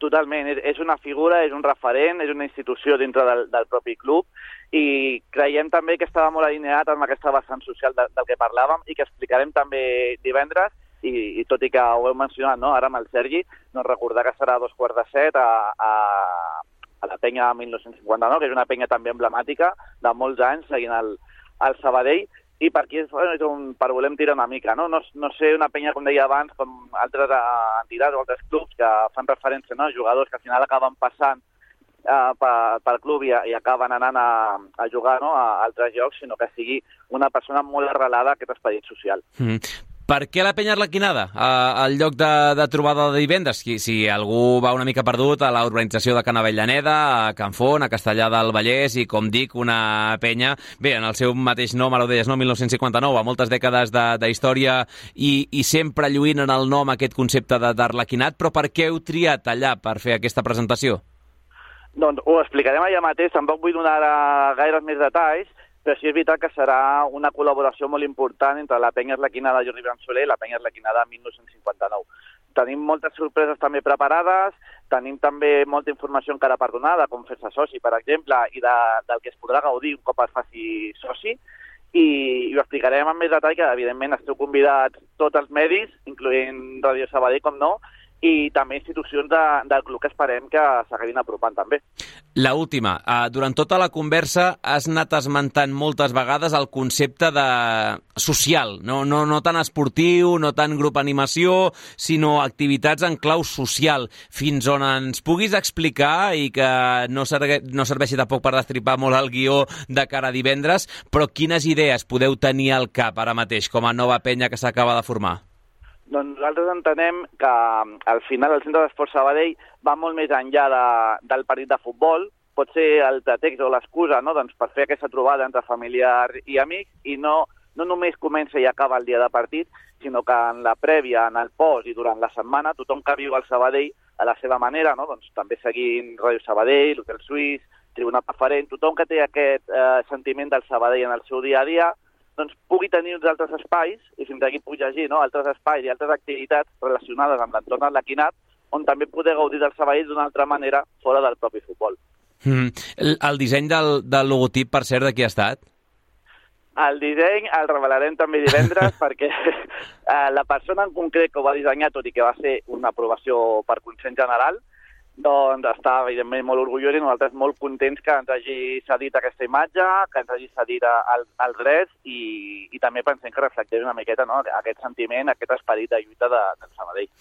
Totalment, és una figura, és un referent, és una institució dintre del, del propi club i creiem també que estava molt alineat amb aquesta vessant social de, del que parlàvem i que explicarem també divendres i, i tot i que ho heu mencionat, no?, ara amb el Sergi, doncs recordar que serà a dos quarts de set a, a, a la penya mil nou-cents cinquanta-nou, que és una penya també emblemàtica de molts anys seguint el, el Sabadell. I per aquí és un, per volem tirar una mica, no? No, no sé, una penya, com deia abans, com altres entitats o altres clubs que fan referència, no?, a jugadors que al final acaben passant eh, pel club i, i acaben anant a, a jugar, no?, a altres llocs, sinó que sigui una persona molt arrelada a aquest esperit social. Mm. Per què la penya arlequinada al lloc de, de trobada de divendres? Si, si algú va una mica perdut a la urbanització de Can Avellaneda, a Can Font, a Castellar del Vallès i, com dic, una penya, bé, en el seu mateix nom, ara ho deies, no? mil nou-cents cinquanta-nou, a moltes dècades d'història i, i sempre lluint en el nom aquest concepte d'arlequinat, però per què heu triat allà per fer aquesta presentació? Doncs ho explicarem allà mateix, tampoc vull donar gaires més detalls, però sí és veritat que serà una col·laboració molt important entre la penya arlequinada Jordi Bransuela i la penya arlequinada mil nou-cents cinquanta-nou. Tenim moltes sorpreses també preparades, tenim també molta informació encara per donar, de com fer-se soci, per exemple, i de, del que es podrà gaudir un cop es faci soci, i, i ho explicarem amb més detall, que evidentment esteu convidats tots els medis, incloent Ràdio Sabadell, com no, i també institucions de, del club que esperem que s'acabin apropant també. La última, uh, durant tota la conversa has anat esmentant moltes vegades el concepte de social, no, no, no tan esportiu, no tan grup animació, sinó activitats en clau social. Fins on ens puguis explicar i que no, serve, no serveixi tampoc per destripar molt el guió de cara a divendres, però quines idees podeu tenir al cap ara mateix com a nova penya que s'acaba de formar? Doncs nosaltres entenem que al final el Centre d'Esport Sabadell va molt més enllà de, del partit de futbol, pot ser el pretext o l'excusa, no? Doncs per fer aquesta trobada entre familiars i amics i no, no només comença i acaba el dia de partit, sinó que en la prèvia, en el post i durant la setmana, tothom que viu al Sabadell a la seva manera, no? Doncs també seguint Ràdio Sabadell, l'Hotel Suís, Tribuna Preferent, tothom que té aquest eh, sentiment del Sabadell en el seu dia a dia, doncs pugui tenir uns altres espais, i fins aquí puc llegir, no? Altres espais i altres activitats relacionades amb l'entorn arlequinat, on també poder gaudir del Sabadell d'una altra manera fora del propi futbol. Mm. El, el disseny del, del logotip, per cert, de qui ha estat? El disseny el revelarem també divendres perquè eh, la persona en concret que ho va dissenyar, tot i que va ser una aprovació per consens general, doncs està, evidentment, molt orgullós i nosaltres molt contents que ens hagi cedit aquesta imatge, que ens hagi cedit el, el dret i, i també pensem que reflecteix una miqueta, no?, aquest sentiment, aquest esperit de lluita de, del Sabadell.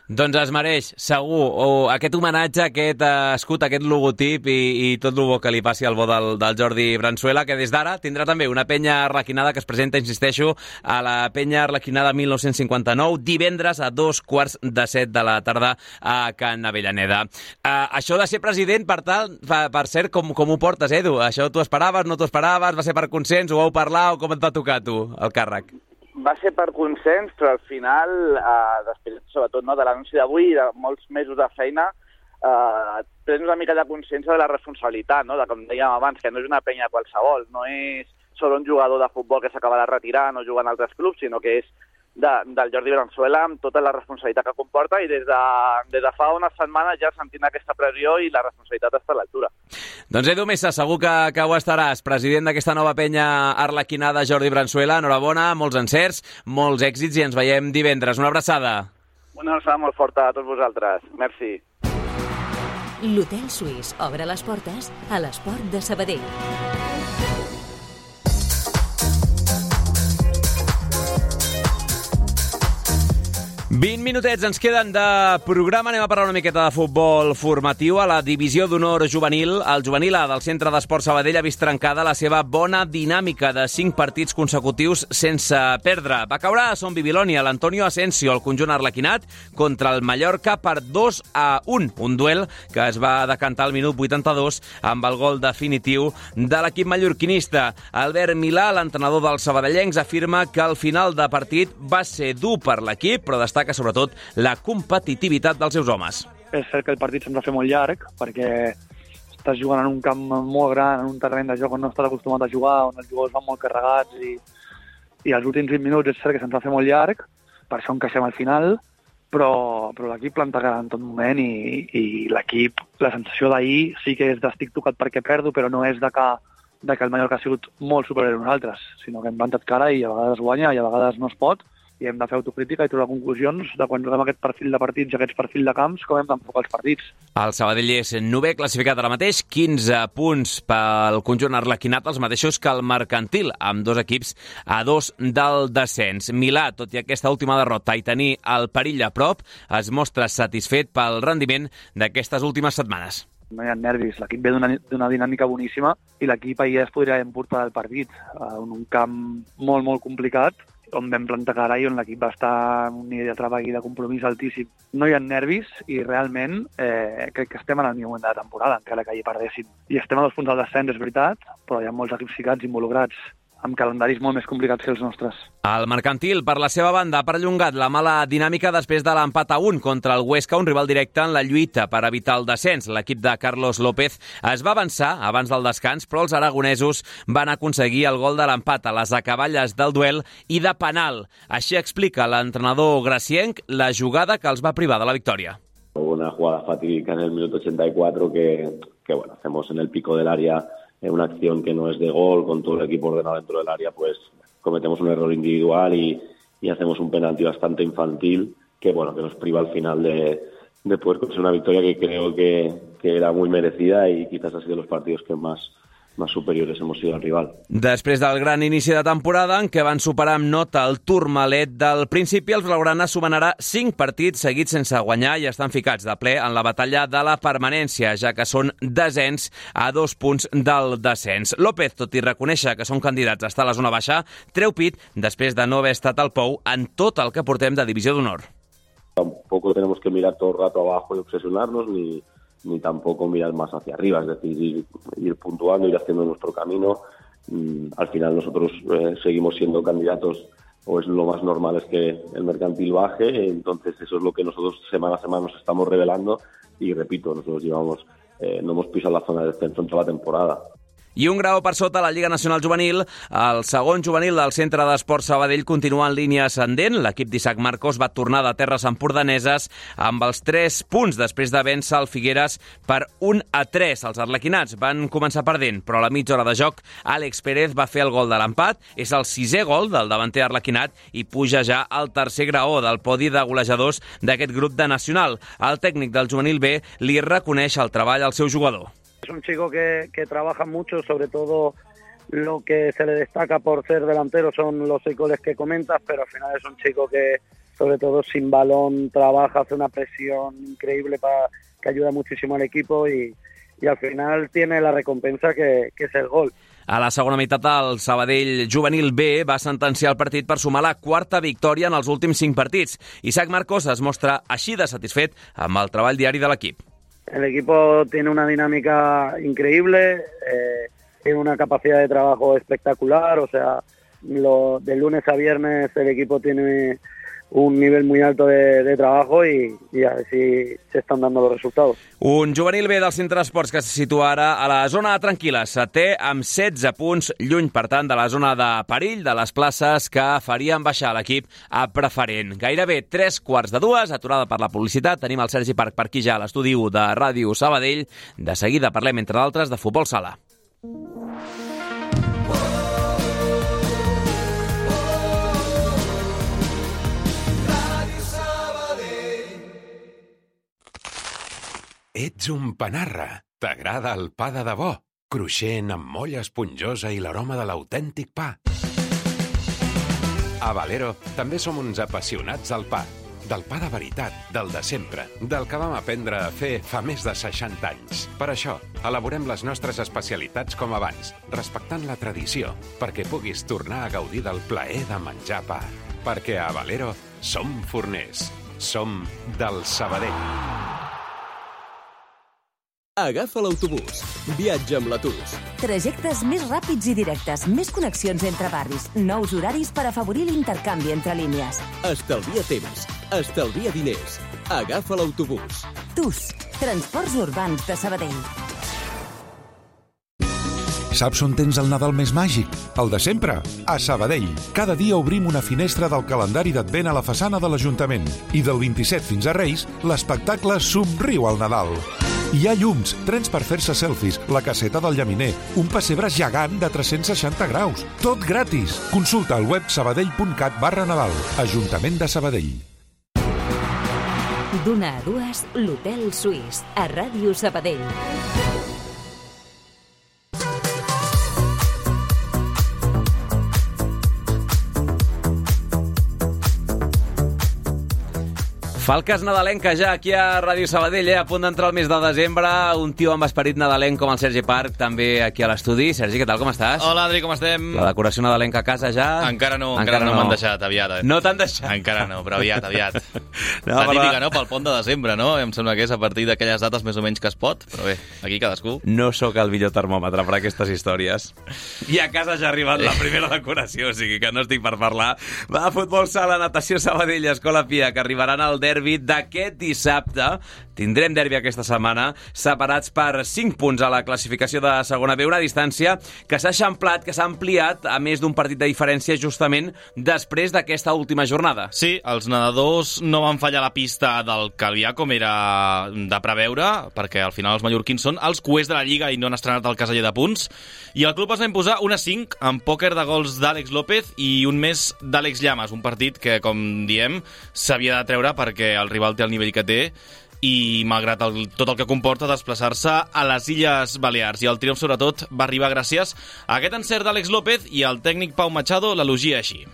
Doncs es mereix, segur, o aquest homenatge, aquest uh, escut, aquest logotip i, i tot el bo que li passi al bo del, del Jordi Bransuela, que des d'ara tindrà també una penya arlequinada que es presenta, insisteixo, a la penya arlequinada mil nou-cents cinquanta-nou, divendres a dos quarts de set de la tarda a Can Avellaneda. Uh, això de ser president, per tal, per, per cert, com, com ho portes, Edu? Això t'ho esperaves, no t'ho esperaves, va ser per consens, ho vau parlar o com et va tocar tu, el càrrec? Va ser per consens, però al final, eh, després, sobretot, no, de l'anunci d'avui i de molts mesos de feina, eh, tens una mica de consciència de la responsabilitat, no?, de, com dèiem abans, que no és una penya qualsevol, no és sobre un jugador de futbol que s'acaba de retirar, no juga en altres clubs, sinó que és de, del Jordi Bransuela amb tota la responsabilitat que comporta i des de, des de fa unes setmanes ja sentint aquesta pressió i la responsabilitat està a l'altura. Doncs Edu Mesa, segur que, que ho estaràs, president d'aquesta nova penya arlequinada Jordi Bransuela. Enhorabona, molts encerts, molts èxits i ens veiem divendres. Una abraçada. Una abraçada molt forta a tots vosaltres. Merci. L'Hotel Suís obre les portes a l'esport de Sabadell. vint minutets ens queden de programa. Anem a parlar una miqueta de futbol formatiu. A la divisió d'honor juvenil, el juvenil A del Centre d'Esport Sabadell ha vist trencada la seva bona dinàmica de cinc partits consecutius sense perdre. Va caure a Son Bibiloni, a l'Antonio Asensio, el conjunt arlequinat, contra el Mallorca per dos a un. Un duel que es va decantar al minut vuitanta-dos amb el gol definitiu de l'equip mallorquinista. Albert Milà, l'entrenador dels sabadellencs, afirma que el final de partit va ser dur per l'equip, però destaca sobretot la competitivitat dels seus homes. És cert que el partit se'ns va fer molt llarg, perquè estàs jugant en un camp molt gran, en un terreny de joc on no estàs acostumat a jugar, on els jugadors van molt carregats, i, i els últims vint minuts és cert que se'ns va fer molt llarg, per això encaixem al final, però, però l'equip plantejarà en tot moment, i, i l'equip, la sensació d'ahir sí que és d'estic tocat perquè perdo, però no és de que, de que el Mallorca ha sigut molt superior a nosaltres, sinó que hem plantat cara i a vegades guanya i a vegades no es pot, i hem de fer autocrítica i trobar conclusions de quan juguem aquest perfil de partits i aquests perfil de camps, com hem d'enfocar els partits. El Sabadell és novè classificat ara mateix, quinze punts pel conjunt arlequinat, els mateixos que el Mercantil, amb dos equips a dos del descens. Milà, tot i aquesta última derrota i tenir el perill a prop, es mostra satisfet pel rendiment d'aquestes últimes setmanes. No hi ha nervis, l'equip ve d'una dinàmica boníssima i l'equip ahir es podria emportar del partit en un camp molt, molt complicat, on vam plantar cara i on l'equip va estar en un nivell de treball i de compromís altíssim. No hi ha nervis i realment eh, crec que estem en el millor moment de la temporada, encara que hi perdéssim. I estem a dos punts del descens, és veritat, però hi ha molts equips ficats involucrats, amb calendaris molt més complicats que els nostres. El Mercantil, per la seva banda, ha perllongat la mala dinàmica després de l'empat a un contra el Huesca, un rival directe en la lluita per evitar el descens. L'equip de Carlos López es va avançar abans del descans, però els aragonesos van aconseguir el gol de l'empat a les acaballes del duel i de penal. Així explica l'entrenador gracienc la jugada que els va privar de la victòria. Una jugada fatídica en el minuto ochenta y cuatro que, que bueno, hacemos en el pico del área, en una acción que no es de gol, con todo el equipo ordenado dentro del área, pues cometemos un error individual y, y hacemos un penalti bastante infantil que bueno que nos priva al final de, de poder conseguir una victoria que creo que, que era muy merecida y quizás ha sido los partidos que más más superiores hemos sido al rival. Després del gran inici de temporada, en què van superar amb nota el Tourmalet del principi, els blaugrana sumen ara cinc partits seguits sense guanyar i estan ficats de ple en la batalla de la permanència, ja que són desens a dos punts del descens. López, tot i reconèixer que són candidats a estar a la zona baixa, treu pit després de no haver estat al Pou en tot el que portem de divisió d'honor. Tampoco tenemos que mirar todo el rato abajo y obsesionarnos, ni ni tampoco mirar más hacia arriba, es decir, ir, ir puntuando, ir haciendo nuestro camino. Mm, al final nosotros eh, seguimos siendo candidatos, o es lo más normal es que el mercantil baje, entonces eso es lo que nosotros semana a semana nos estamos revelando y repito, nosotros llevamos, eh, no hemos pisado la zona de descenso en toda la temporada. I un grau per sota la Lliga Nacional Juvenil. El segon juvenil del Centre d'Esports Sabadell continua en línia ascendent. L'equip d'Isaac Marcos va tornar de terres empordaneses amb els tres punts després de vèncer el Figueres per un a tres. Els arlequinats van començar perdent, però a la mitja hora de joc Àlex Pérez va fer el gol de l'empat. És el sisè gol del davanter arlequinat i puja ja al tercer graó del podi de golejadors d'aquest grup de Nacional. El tècnic del juvenil B li reconeix el treball al seu jugador. Es un chico que, que trabaja mucho, sobre todo lo que se le destaca por ser delantero son los seis goles que comentas, pero al final es un chico que, sobre todo sin balón, trabaja, hace una presión increíble para, que ayuda muchísimo al equipo y, y al final tiene la recompensa que, que es el gol. A la segona meitat, el Sabadell Juvenil B va sentenciar el partit per sumar la quarta victòria en els últims cinc partits. Isaac Marcos es mostra així de satisfet amb el treball diari de l'equip. El equipo tiene una dinámica increíble, eh, tiene una capacidad de trabajo espectacular, o sea, lo, de lunes a viernes el equipo tiene un nivel muy alto de, de trabajo y, y a ver si se están dando los resultados. Un juvenil B del Centre d'Esports que se situa ara a la zona tranquil·la, setè amb setze punts, lluny, per tant, de la zona de perill, de les places que farien baixar l'equip a preferent. Gairebé tres quarts de dues, aturada per la publicitat. Tenim el Sergi Parc per aquí ja a l'estudi u de Ràdio Sabadell. De seguida parlem, entre d'altres, de futbol sala. Ets un panarra. T'agrada el pa de debò? Cruixent, amb molla esponjosa i l'aroma de l'autèntic pa. A Valero també som uns apassionats del pa. Del pa de veritat, del de sempre, del que vam aprendre a fer fa més de seixanta anys. Per això, elaborem les nostres especialitats com abans, respectant la tradició, perquè puguis tornar a gaudir del plaer de menjar pa. Perquè a Valero som forners. Som del Sabadell. Agafa l'autobús. Viatja amb l'Atus. Trajectes més ràpids i directes, més connexions entre barris, nous horaris per afavorir l'intercanvi entre línies. Estalvia temps, estalvia diners. Agafa l'autobús. Tus, Transports Urbans de Sabadell. Saps on tens el Nadal més màgic? El de sempre, a Sabadell. Cada dia obrim una finestra del calendari d'Advent a la façana de l'Ajuntament. I del vint-i-set fins a Reis, l'espectacle Somriu al Nadal. Hi ha llums, trens per fer-se selfies, la caseta del llaminer, un pessebre gegant de tres-cents seixanta graus. Tot gratis. Consulta al web sabadell punt cat barra Nadal. Ajuntament de Sabadell. D'una a dues, l'Hotel Suís, a Ràdio Sabadell. Falques nadalenques ja aquí a Ràdio Sabadell, eh? A punt d'entrar al mes de desembre, un tio amb esperit nadalenc com el Sergi Parc, també aquí a l'estudi. Sergi, què tal, com estàs? Hola, Adri, com estem? La decoració nadalenca a casa ja? Encara no, encara, encara no, no m'han deixat, aviat. Eh? No t'han deixat? Encara no, però aviat, aviat. No, la típica, no?, pel pont de desembre, no? Em sembla que és a partir d'aquelles dates més o menys que es pot, però bé, aquí cadascú. No sóc el millor termòmetre per aquestes històries. I a casa ja ha arribat la primera decoració, o sigui que no estic per parlar. Va, futbol sala, natació Sabadell, Escola Pia, que arribaran al derbi d'aquest dissabte. Tindrem derbi aquesta setmana, separats per cinc punts a la classificació de segona B, una distància que s'ha eixamplat, que s'ha ampliat a més d'un partit de diferència justament després d'aquesta última jornada. Sí, els nedadors no van fallar la pista del Calvià com era de preveure, perquè al final els mallorquins són els cuers de la Lliga i no han estrenat el caseller de punts, i el club es va imposar un a cinc amb pòquer de gols d'Àlex López i un més d'Àlex Llamas, un partit que, com diem, s'havia de treure perquè el rival té el nivell que té i malgrat el, tot el que comporta desplaçar-se a les Illes Balears. I el triomf, sobretot, va arribar gràcies a aquest encert d'Àlex López i el tècnic Pau Machado l'elogia així.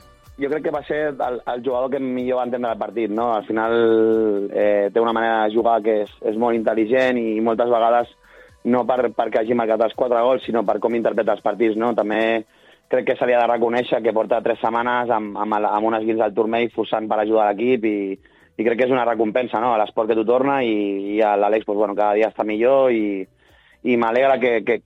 Jo crec que va ser el, el jugador que millor va entendre el partit, no? Al final eh, té una manera de jugar que és, és molt intel·ligent i moltes vegades no per, perquè hagi marcat els quatre gols, sinó per com interpreta els partits, no? També crec que se li ha de reconèixer que porta tres setmanes amb, amb, amb un esguins del turmell forçant per ajudar l'equip i, i crec que és una recompensa, no? A l'esport que tu torna i, i l'Àlex pues, bueno, cada dia està millor i, i m'alegra que, que,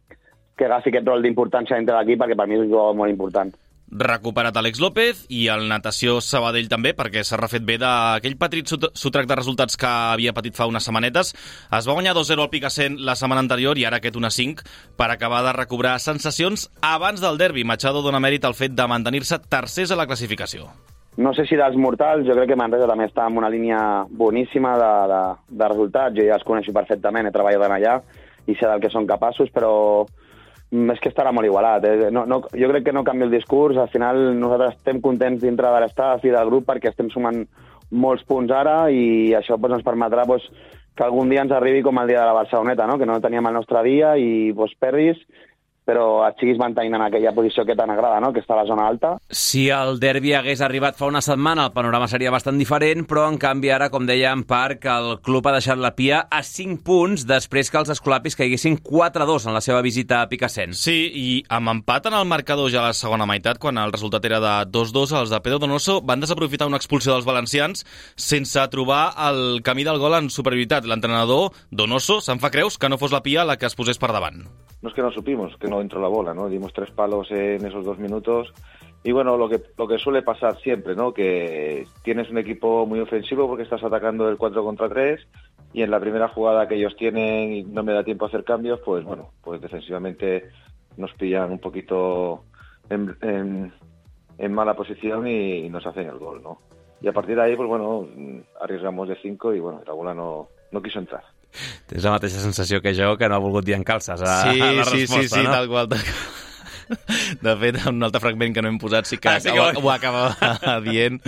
que agafi aquest rol d'importància dintre l'equip perquè per mi és un jugador molt important. Recuperat Àlex López i el Natació Sabadell també, perquè s'ha refet bé d'aquell petit sotrac de resultats que havia patit fa unes setmanetes. Es va guanyar dos zero al Picassent la setmana anterior i ara aquest un a cinc per acabar de recobrar sensacions abans del derbi. Machado dona mèrit al fet de mantenir-se tercers a la classificació. No sé si dels mortals, jo crec que Manresa també està en una línia boníssima de, de, de resultats. Jo ja els coneixo perfectament, he treballat allà i sé del que són capaços, però és que estarà molt igualat. Eh? No, no, jo crec que no canvia el discurs. Al final nosaltres estem contents dintre de l'estaf i del grup perquè estem sumant molts punts ara i això pues, ens permetrà pues, que algun dia ens arribi com el dia de la Barceloneta, no? Que no teníem el nostre dia i pues, perdis, però et siguis mantenint en aquella posició que tant agrada, no? Que està a la zona alta. Si el derbi hagués arribat fa una setmana, el panorama seria bastant diferent, però en canvi ara, com deia en Parc, el club ha deixat la Pia a cinc punts després que els escolapis caiguessin quatre a dos en la seva visita a Picassent. Sí, i amb empat en el marcador ja a la segona meitat, quan el resultat era de dos dos, els de Pedro Donoso van desaprofitar una expulsió dels valencians sense trobar el camí del gol en superioritat. L'entrenador Donoso se'n fa creus que no fos la Pia la que es posés per davant. No es que no supimos, que no entró la bola, ¿no? Dimos tres palos en esos dos minutos y bueno, lo que lo que suele pasar siempre, ¿no? Que tienes un equipo muy ofensivo porque estás atacando del cuatro contra tres y en la primera jugada que ellos tienen y no me da tiempo a hacer cambios, pues bueno, pues defensivamente nos pillan un poquito en, en, en mala posición y nos hacen el gol, ¿no? Y a partir de ahí, pues bueno, arriesgamos de cinco y bueno, la bola no, no quiso entrar. Tens la mateixa sensació que jo, que no ha volgut dir en calces a, sí, a la sí, resposta, sí, sí, no? tal qual, tal qual. De fet, un altre fragment que no hem posat sí que, ah, sí que ho, ho acaba dient,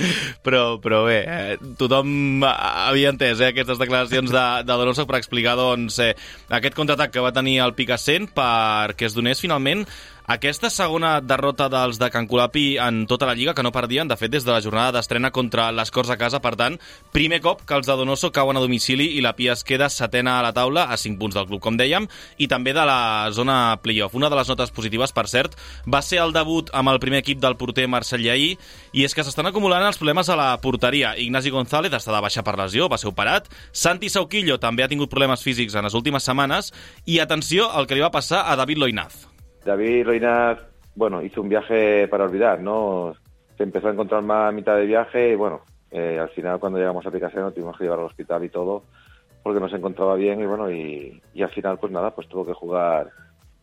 però, però bé, eh, tothom havia entès eh, aquestes declaracions de, de Donoso per explicar doncs, eh, aquest contraatac que va tenir el Picassent perquè es donés finalment aquesta segona derrota dels de Can Colapi en tota la Lliga, que no perdien, de fet, des de la jornada d'estrena contra les Corts a casa. Per tant, primer cop que els de Donoso cauen a domicili i la Pia es queda setena a la taula, a cinc punts del club, com dèiem, i també de la zona playoff. Una de les notes positives, per cert, va ser el debut amb el primer equip del porter Marcel Llaí, i és que s'estan acumulant els problemes a la porteria. Ignasi González està de baixa per lesió, va ser operat. Santi Sauquillo també ha tingut problemes físics en les últimes setmanes. I atenció al que li va passar a David Loinaz. David Loinaz, bueno, hizo un viaje para olvidar, ¿no? Se empezó a encontrar más a mitad de viaje y, bueno, eh, al final cuando llegamos a Picassent tuvimos que llevar al hospital y todo, porque no se encontraba bien y, bueno, y, y al final, pues nada, pues tuvo que jugar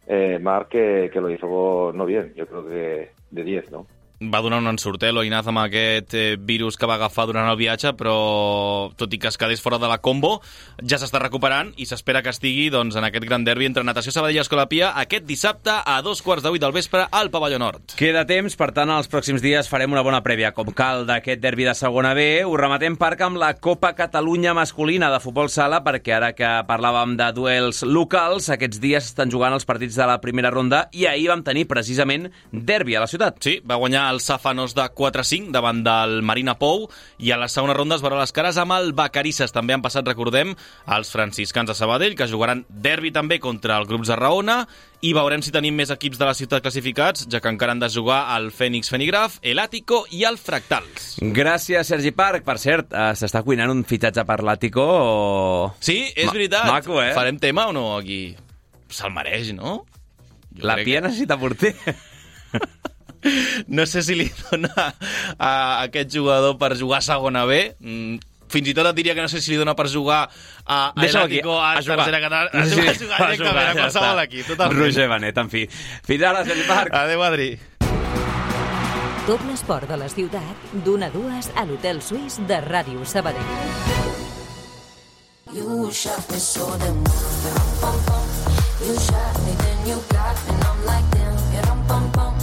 eh, Marc, que, que lo hizo no bien, yo creo que de diez, ¿no? Va donar un ensurt, eh, Loinaz, amb aquest eh, virus que va agafar durant el viatge, però tot i que es quedés fora de la combo, ja s'està recuperant i s'espera que estigui doncs, en aquest gran derbi entre Natació Sabadell i Escolapia aquest dissabte a dos quarts de vuit del vespre al Pavelló Nord. Queda temps, per tant, els pròxims dies farem una bona prèvia, com cal, d'aquest derbi de segona B. Ho rematem, Parc, amb la Copa Catalunya masculina de futbol sala, perquè ara que parlàvem de duels locals, aquests dies estan jugant els partits de la primera ronda i ahir vam tenir precisament derbi a la ciutat. Sí, va guanyar el Safanos de quatre a cinc davant del Marina Pou i a la segona ronda es veurà les cares amb el Vacarisses. També han passat, recordem, els franciscans de Sabadell, que jugaran derbi també contra el grup de Raona, i veurem si tenim més equips de la ciutat classificats, ja que encara han de jugar el Fènix Fenigraf, el Àtico i el Fractals. Gràcies, Sergi Parc. Per cert, eh, s'està cuinant un fitxatge per l'Àtico o... Sí, és Ma veritat. Maco, eh? Farem tema o no aquí? Se'l mereix, no? Jo la Pia que... necessita porter. No sé si li dona a aquest jugador per jugar a segona B. Fins i tot et diria que no sé si li dona per jugar a l'Àtico a, a tercera catalana. A jugar, sí, a jugar directament a qualsevol equip. Roger Benet, en fi. Fins ara, Sergi Parc. Adéu, Adri. Tot l'esport de la ciutat, d'una a dues a l'Hotel Suís de Ràdio Sabadell. You shot me so damn well. You shot me, then you got me, and I'm like damn. Pum pum.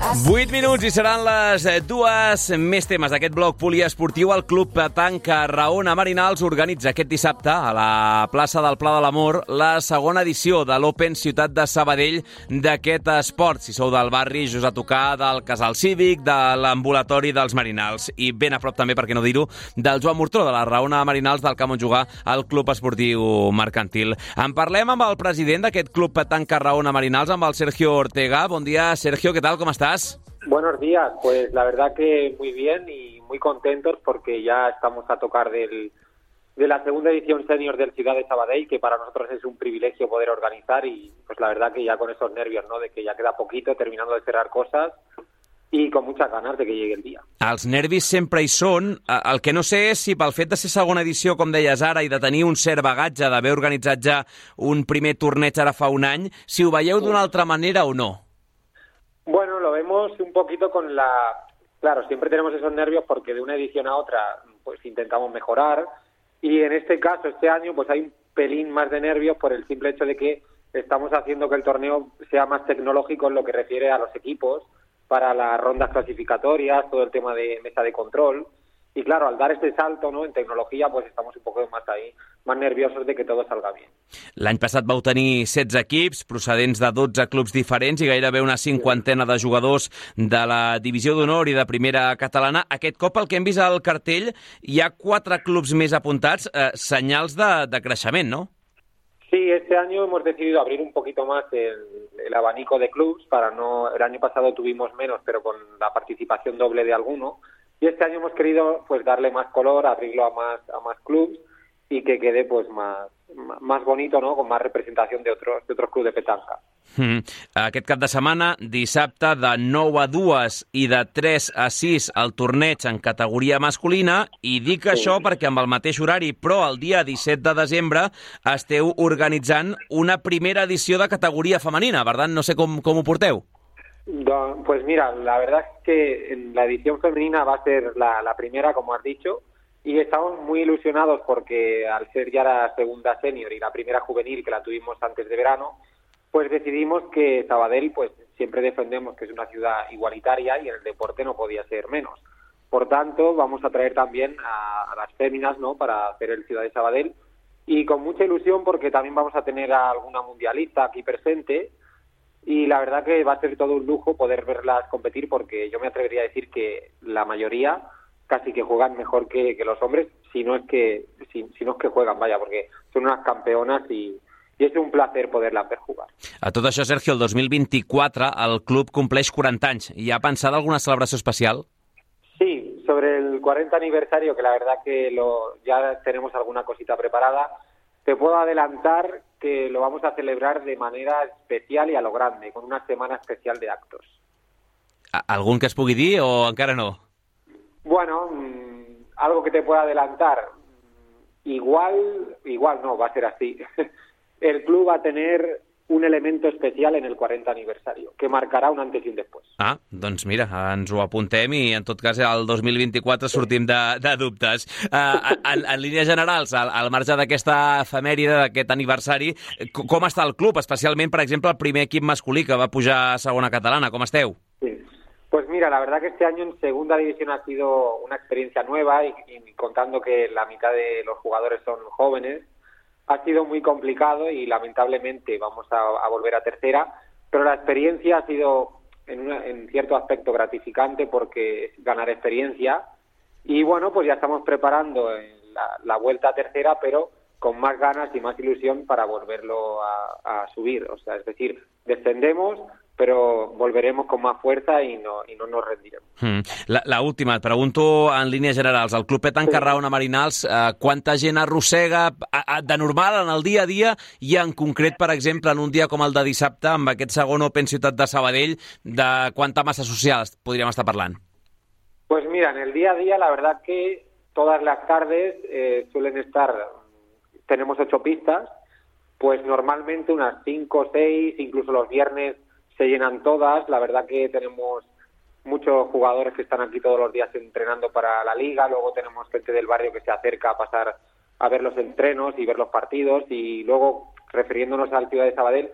I vuit minuts i seran les dues. Més temes d'aquest bloc poliesportiu. El Club Petanca Raona Marinals organitza aquest dissabte a la plaça del Pla de l'Amor la segona edició de l'Open Ciutat de Sabadell d'aquest esport. Si sou del barri, just a tocar del Casal Cívic, de l'ambulatori dels Marinals i ben a prop també, per què no dir-ho, del Joan Murtró, de la Raona Marinals, del camp on jugar al Club Esportiu Mercantil. En parlem amb el president d'aquest Club Petanca Raona Marinals, amb el Sergio Ortega. Bon dia, Sergio, ¿qué tal? ¿Cómo estás? Buenos días, pues la verdad que muy bien y muy contentos porque ya estamos a tocar del, de la segunda edición senior del Ciudad de Sabadell, que para nosotros es un privilegio poder organizar y pues la verdad que ya con esos nervios, ¿no? De que ya queda poquito, terminando de cerrar cosas i con muchas ganas de que llegue el dia. Els nervis sempre hi són. El que no sé és si pel fet de ser segona edició, com deies ara, i de tenir un cert bagatge, d'haver organitzat ja un primer torneig ara fa un any, si ho veieu d'una altra manera o no. Bueno, lo vemos un poquito con la... Claro, siempre tenemos esos nervios porque de una edición a otra pues intentamos mejorar y en este caso, este año, pues hay un pelín más de nervios por el simple hecho de que estamos haciendo que el torneo sea más tecnológico en lo que refiere a los equipos, para las rondas clasificatorias, todo el tema de mesa de control. Y claro, al dar este salto, ¿no?, en tecnología, pues estamos un poco más ahí, más nerviosos de que todo salga bien. L'any passat vau tenir setze equips, procedents de dotze clubs diferents i gairebé una cinquantena de jugadors de la divisió d'honor i de primera catalana. Aquest cop, el que hem vist al cartell, hi ha quatre clubs més apuntats, eh, senyals de, de creixement, ¿no? Sí, este año hemos decidido abrir un poquito más el, el abanico de clubs para no... El año pasado tuvimos menos, pero con la participación doble de alguno. Y este año hemos querido pues darle más color, abrirlo a más a más clubs y que quede pues más más bonito, ¿no?, con más representación de otros de otros clubs de petanca. Mm. Aquest cap de setmana, dissabte, de nou a dues i de tres a sis el torneig en categoria masculina, i dic sí. això perquè amb el mateix horari, però el dia disset de desembre esteu organitzant una primera edició de categoria femenina, ¿verdad? No sé com, com ho porteu. Pues mira, la verdad es que la edición femenina va a ser la, la primera, como has dicho, y estamos muy ilusionados porque al ser ya la segunda senior y la primera juvenil que la tuvimos antes de verano, pues decidimos que Sabadell, pues siempre defendemos que es una ciudad igualitaria y en el deporte no podía ser menos. Por tanto, vamos a traer también a, a las féminas, ¿no?, para hacer el Ciudad de Sabadell, y con mucha ilusión porque también vamos a tener a alguna mundialista aquí presente. Y la verdad que va a ser todo un lujo poder verlas competir porque yo me atrevería a decir que la mayoría casi que juegan mejor que, que los hombres, si no es que si, si no es que juegan, vaya, porque son unas campeonas y, y es un placer poderlas ver jugar. A tot això, Sergio, el dos mil vint-i-quatre el club compleix quaranta anys. Hi ha pensada alguna celebració especial? Sí, sobre el cuarenta aniversario, que la verdad que lo, ya tenemos alguna cosita preparada. Te puedo adelantar que lo vamos a celebrar de manera especial y a lo grande, con una semana especial de actos. ¿Algún que es pugui dir o encara no? Bueno, mmm, algo que te pueda adelantar. Igual, igual no, va a ser así. El club va a tener un elemento especial en el cuarenta aniversario, que marcarà un antes i un després. Ah, doncs mira, ens ho apuntem i en tot cas el dos mil vint-i-quatre sortim de, de dubtes. Uh, en, en línies generals, al, al marge d'aquesta efemèride, d'aquest aniversari, com està el club? Especialment, per exemple, el primer equip masculí que va pujar a segona catalana. Com esteu? Sí. Pues mira, la verdad que este año en segunda división ha sido una experiencia nueva y, y contando que la mitad de los jugadores son jóvenes, ha sido muy complicado y lamentablemente vamos a, a volver a tercera, pero la experiencia ha sido en, una, en cierto aspecto gratificante porque es ganar experiencia y bueno, pues ya estamos preparando la, la vuelta a tercera, pero con más ganas y más ilusión para volverlo a, a subir. O sea, es decir, descendemos, però volveremos con más fuerza y no, y no nos rendiremos. Mm. La, la última, et pregunto en línies generals. El Club Petanca Raona Marinals, eh, quanta gent arrossega a, a, de normal en el dia a dia i en concret, per exemple, en un dia com el de dissabte, amb aquest segon Open Ciutat de Sabadell, de quanta massa social podríem estar parlant? Pues mira, en el día a día la verdad que todas las tardes eh, suelen estar, tenemos ocho pistas, pues normalmente unas cinco o seis, incluso los viernes se llenan todas. La verdad que tenemos muchos jugadores que están aquí todos los días entrenando para la liga, luego tenemos gente del barrio que se acerca a pasar a ver los entrenos y ver los partidos, y luego, refiriéndonos al Ciudad de Sabadell,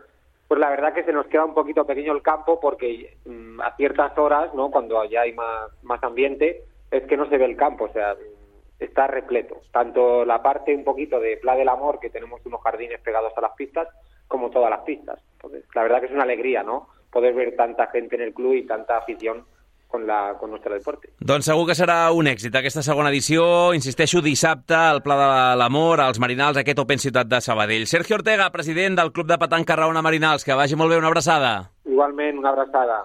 pues la verdad que se nos queda un poquito pequeño el campo porque mmm, a ciertas horas, ¿no? Cuando ya hay más, más ambiente, es que no se ve el campo, o sea, está repleto. Tanto la parte un poquito de Pla del Amor, que tenemos unos jardines pegados a las pistas, como todas las pistas. Entonces, la verdad que es una alegría, ¿no? Poder ver tanta gente en el club y tanta afición con, la, con nuestro deporte. Doncs segur que serà un èxit aquesta segona edició. Insisteixo, dissabte, al Pla de l'Amor, als Marinals, aquest Open Ciutat de Sabadell. Sergio Ortega, president del Club de Petanca Raona Marinals, que vagi molt bé, una abraçada. Igualment, una abraçada.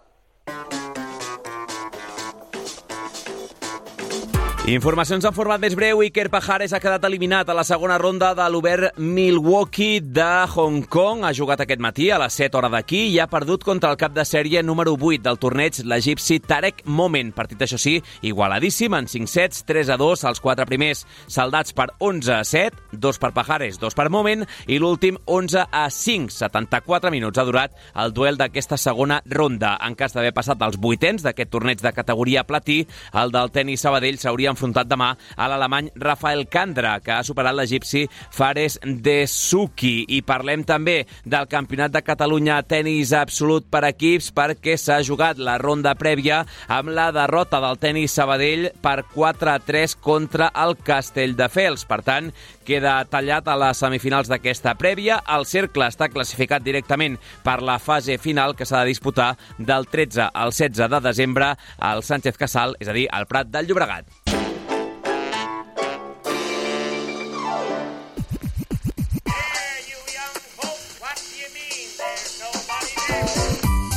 Informacions en format més breu. Iker Pajares ha quedat eliminat a la segona ronda de l'Obert Milwaukee de Hong Kong. Ha jugat aquest matí a les set hores d'aquí i ha perdut contra el cap de sèrie número vuit del torneig, l'egipci Tarek Momen. Partit, això sí, igualadíssim, en cinc sets, tres a dos, els quatre primers saldats per onze a set, dos per Pajares, dos per Momen, i l'últim onze a cinc. setanta-quatre minuts ha durat el duel d'aquesta segona ronda. En cas d'haver passat els vuitens d'aquest torneig de categoria platí, el del tenis Sabadell s'hauria enfrontat demà a l'alemany Rafael Candra, que ha superat l'egipci Fares Dessouki. I parlem també del Campionat de Catalunya tenis absolut per equips, perquè s'ha jugat la ronda prèvia amb la derrota del tenis Sabadell per quatre a tres contra el Castelldefels. Per tant, queda tallat a les semifinals d'aquesta prèvia. El cercle està classificat directament per la fase final, que s'ha de disputar del tretze al setze de desembre al Sánchez Casal, és a dir, al Prat del Llobregat.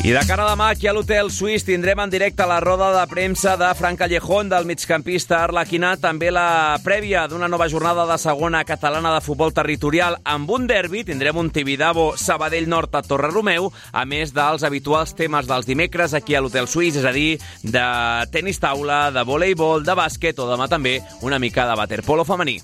I de cara a demà, aquí a l'Hotel Suís tindrem en directe la roda de premsa de Fran Callejón, del migcampista arlequinà, també la prèvia d'una nova jornada de segona catalana de futbol territorial. Amb un derbi tindrem un Tibidabo Sabadell Nord a Torre-Romeu, a més dels habituals temes dels dimecres aquí a l'Hotel Suís, és a dir, de tenis taula, de voleibol, de bàsquet o demà també una mica de waterpolo femení.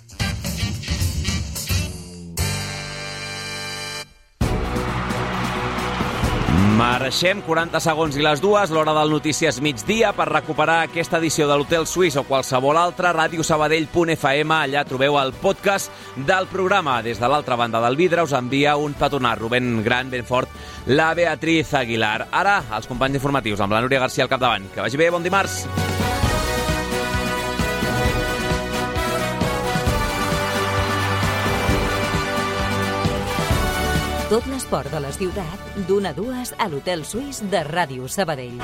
Marxem, quaranta segons i les dues, l'hora del Notícies Migdia, per recuperar aquesta edició de l'Hotel Suís o qualsevol altra, radio sabadell punt f m. Allà trobeu el podcast del programa. Des de l'altra banda del vidre us envia un petonat, Rubén Gran, ben fort, la Beatriz Aguilar. Ara, els companys informatius, amb la Núria García al capdavant. Que vagi bé, bon dimarts. Tot l'esport de la ciutat, d'una a dues a l'Hotel Suís de Ràdio Sabadell.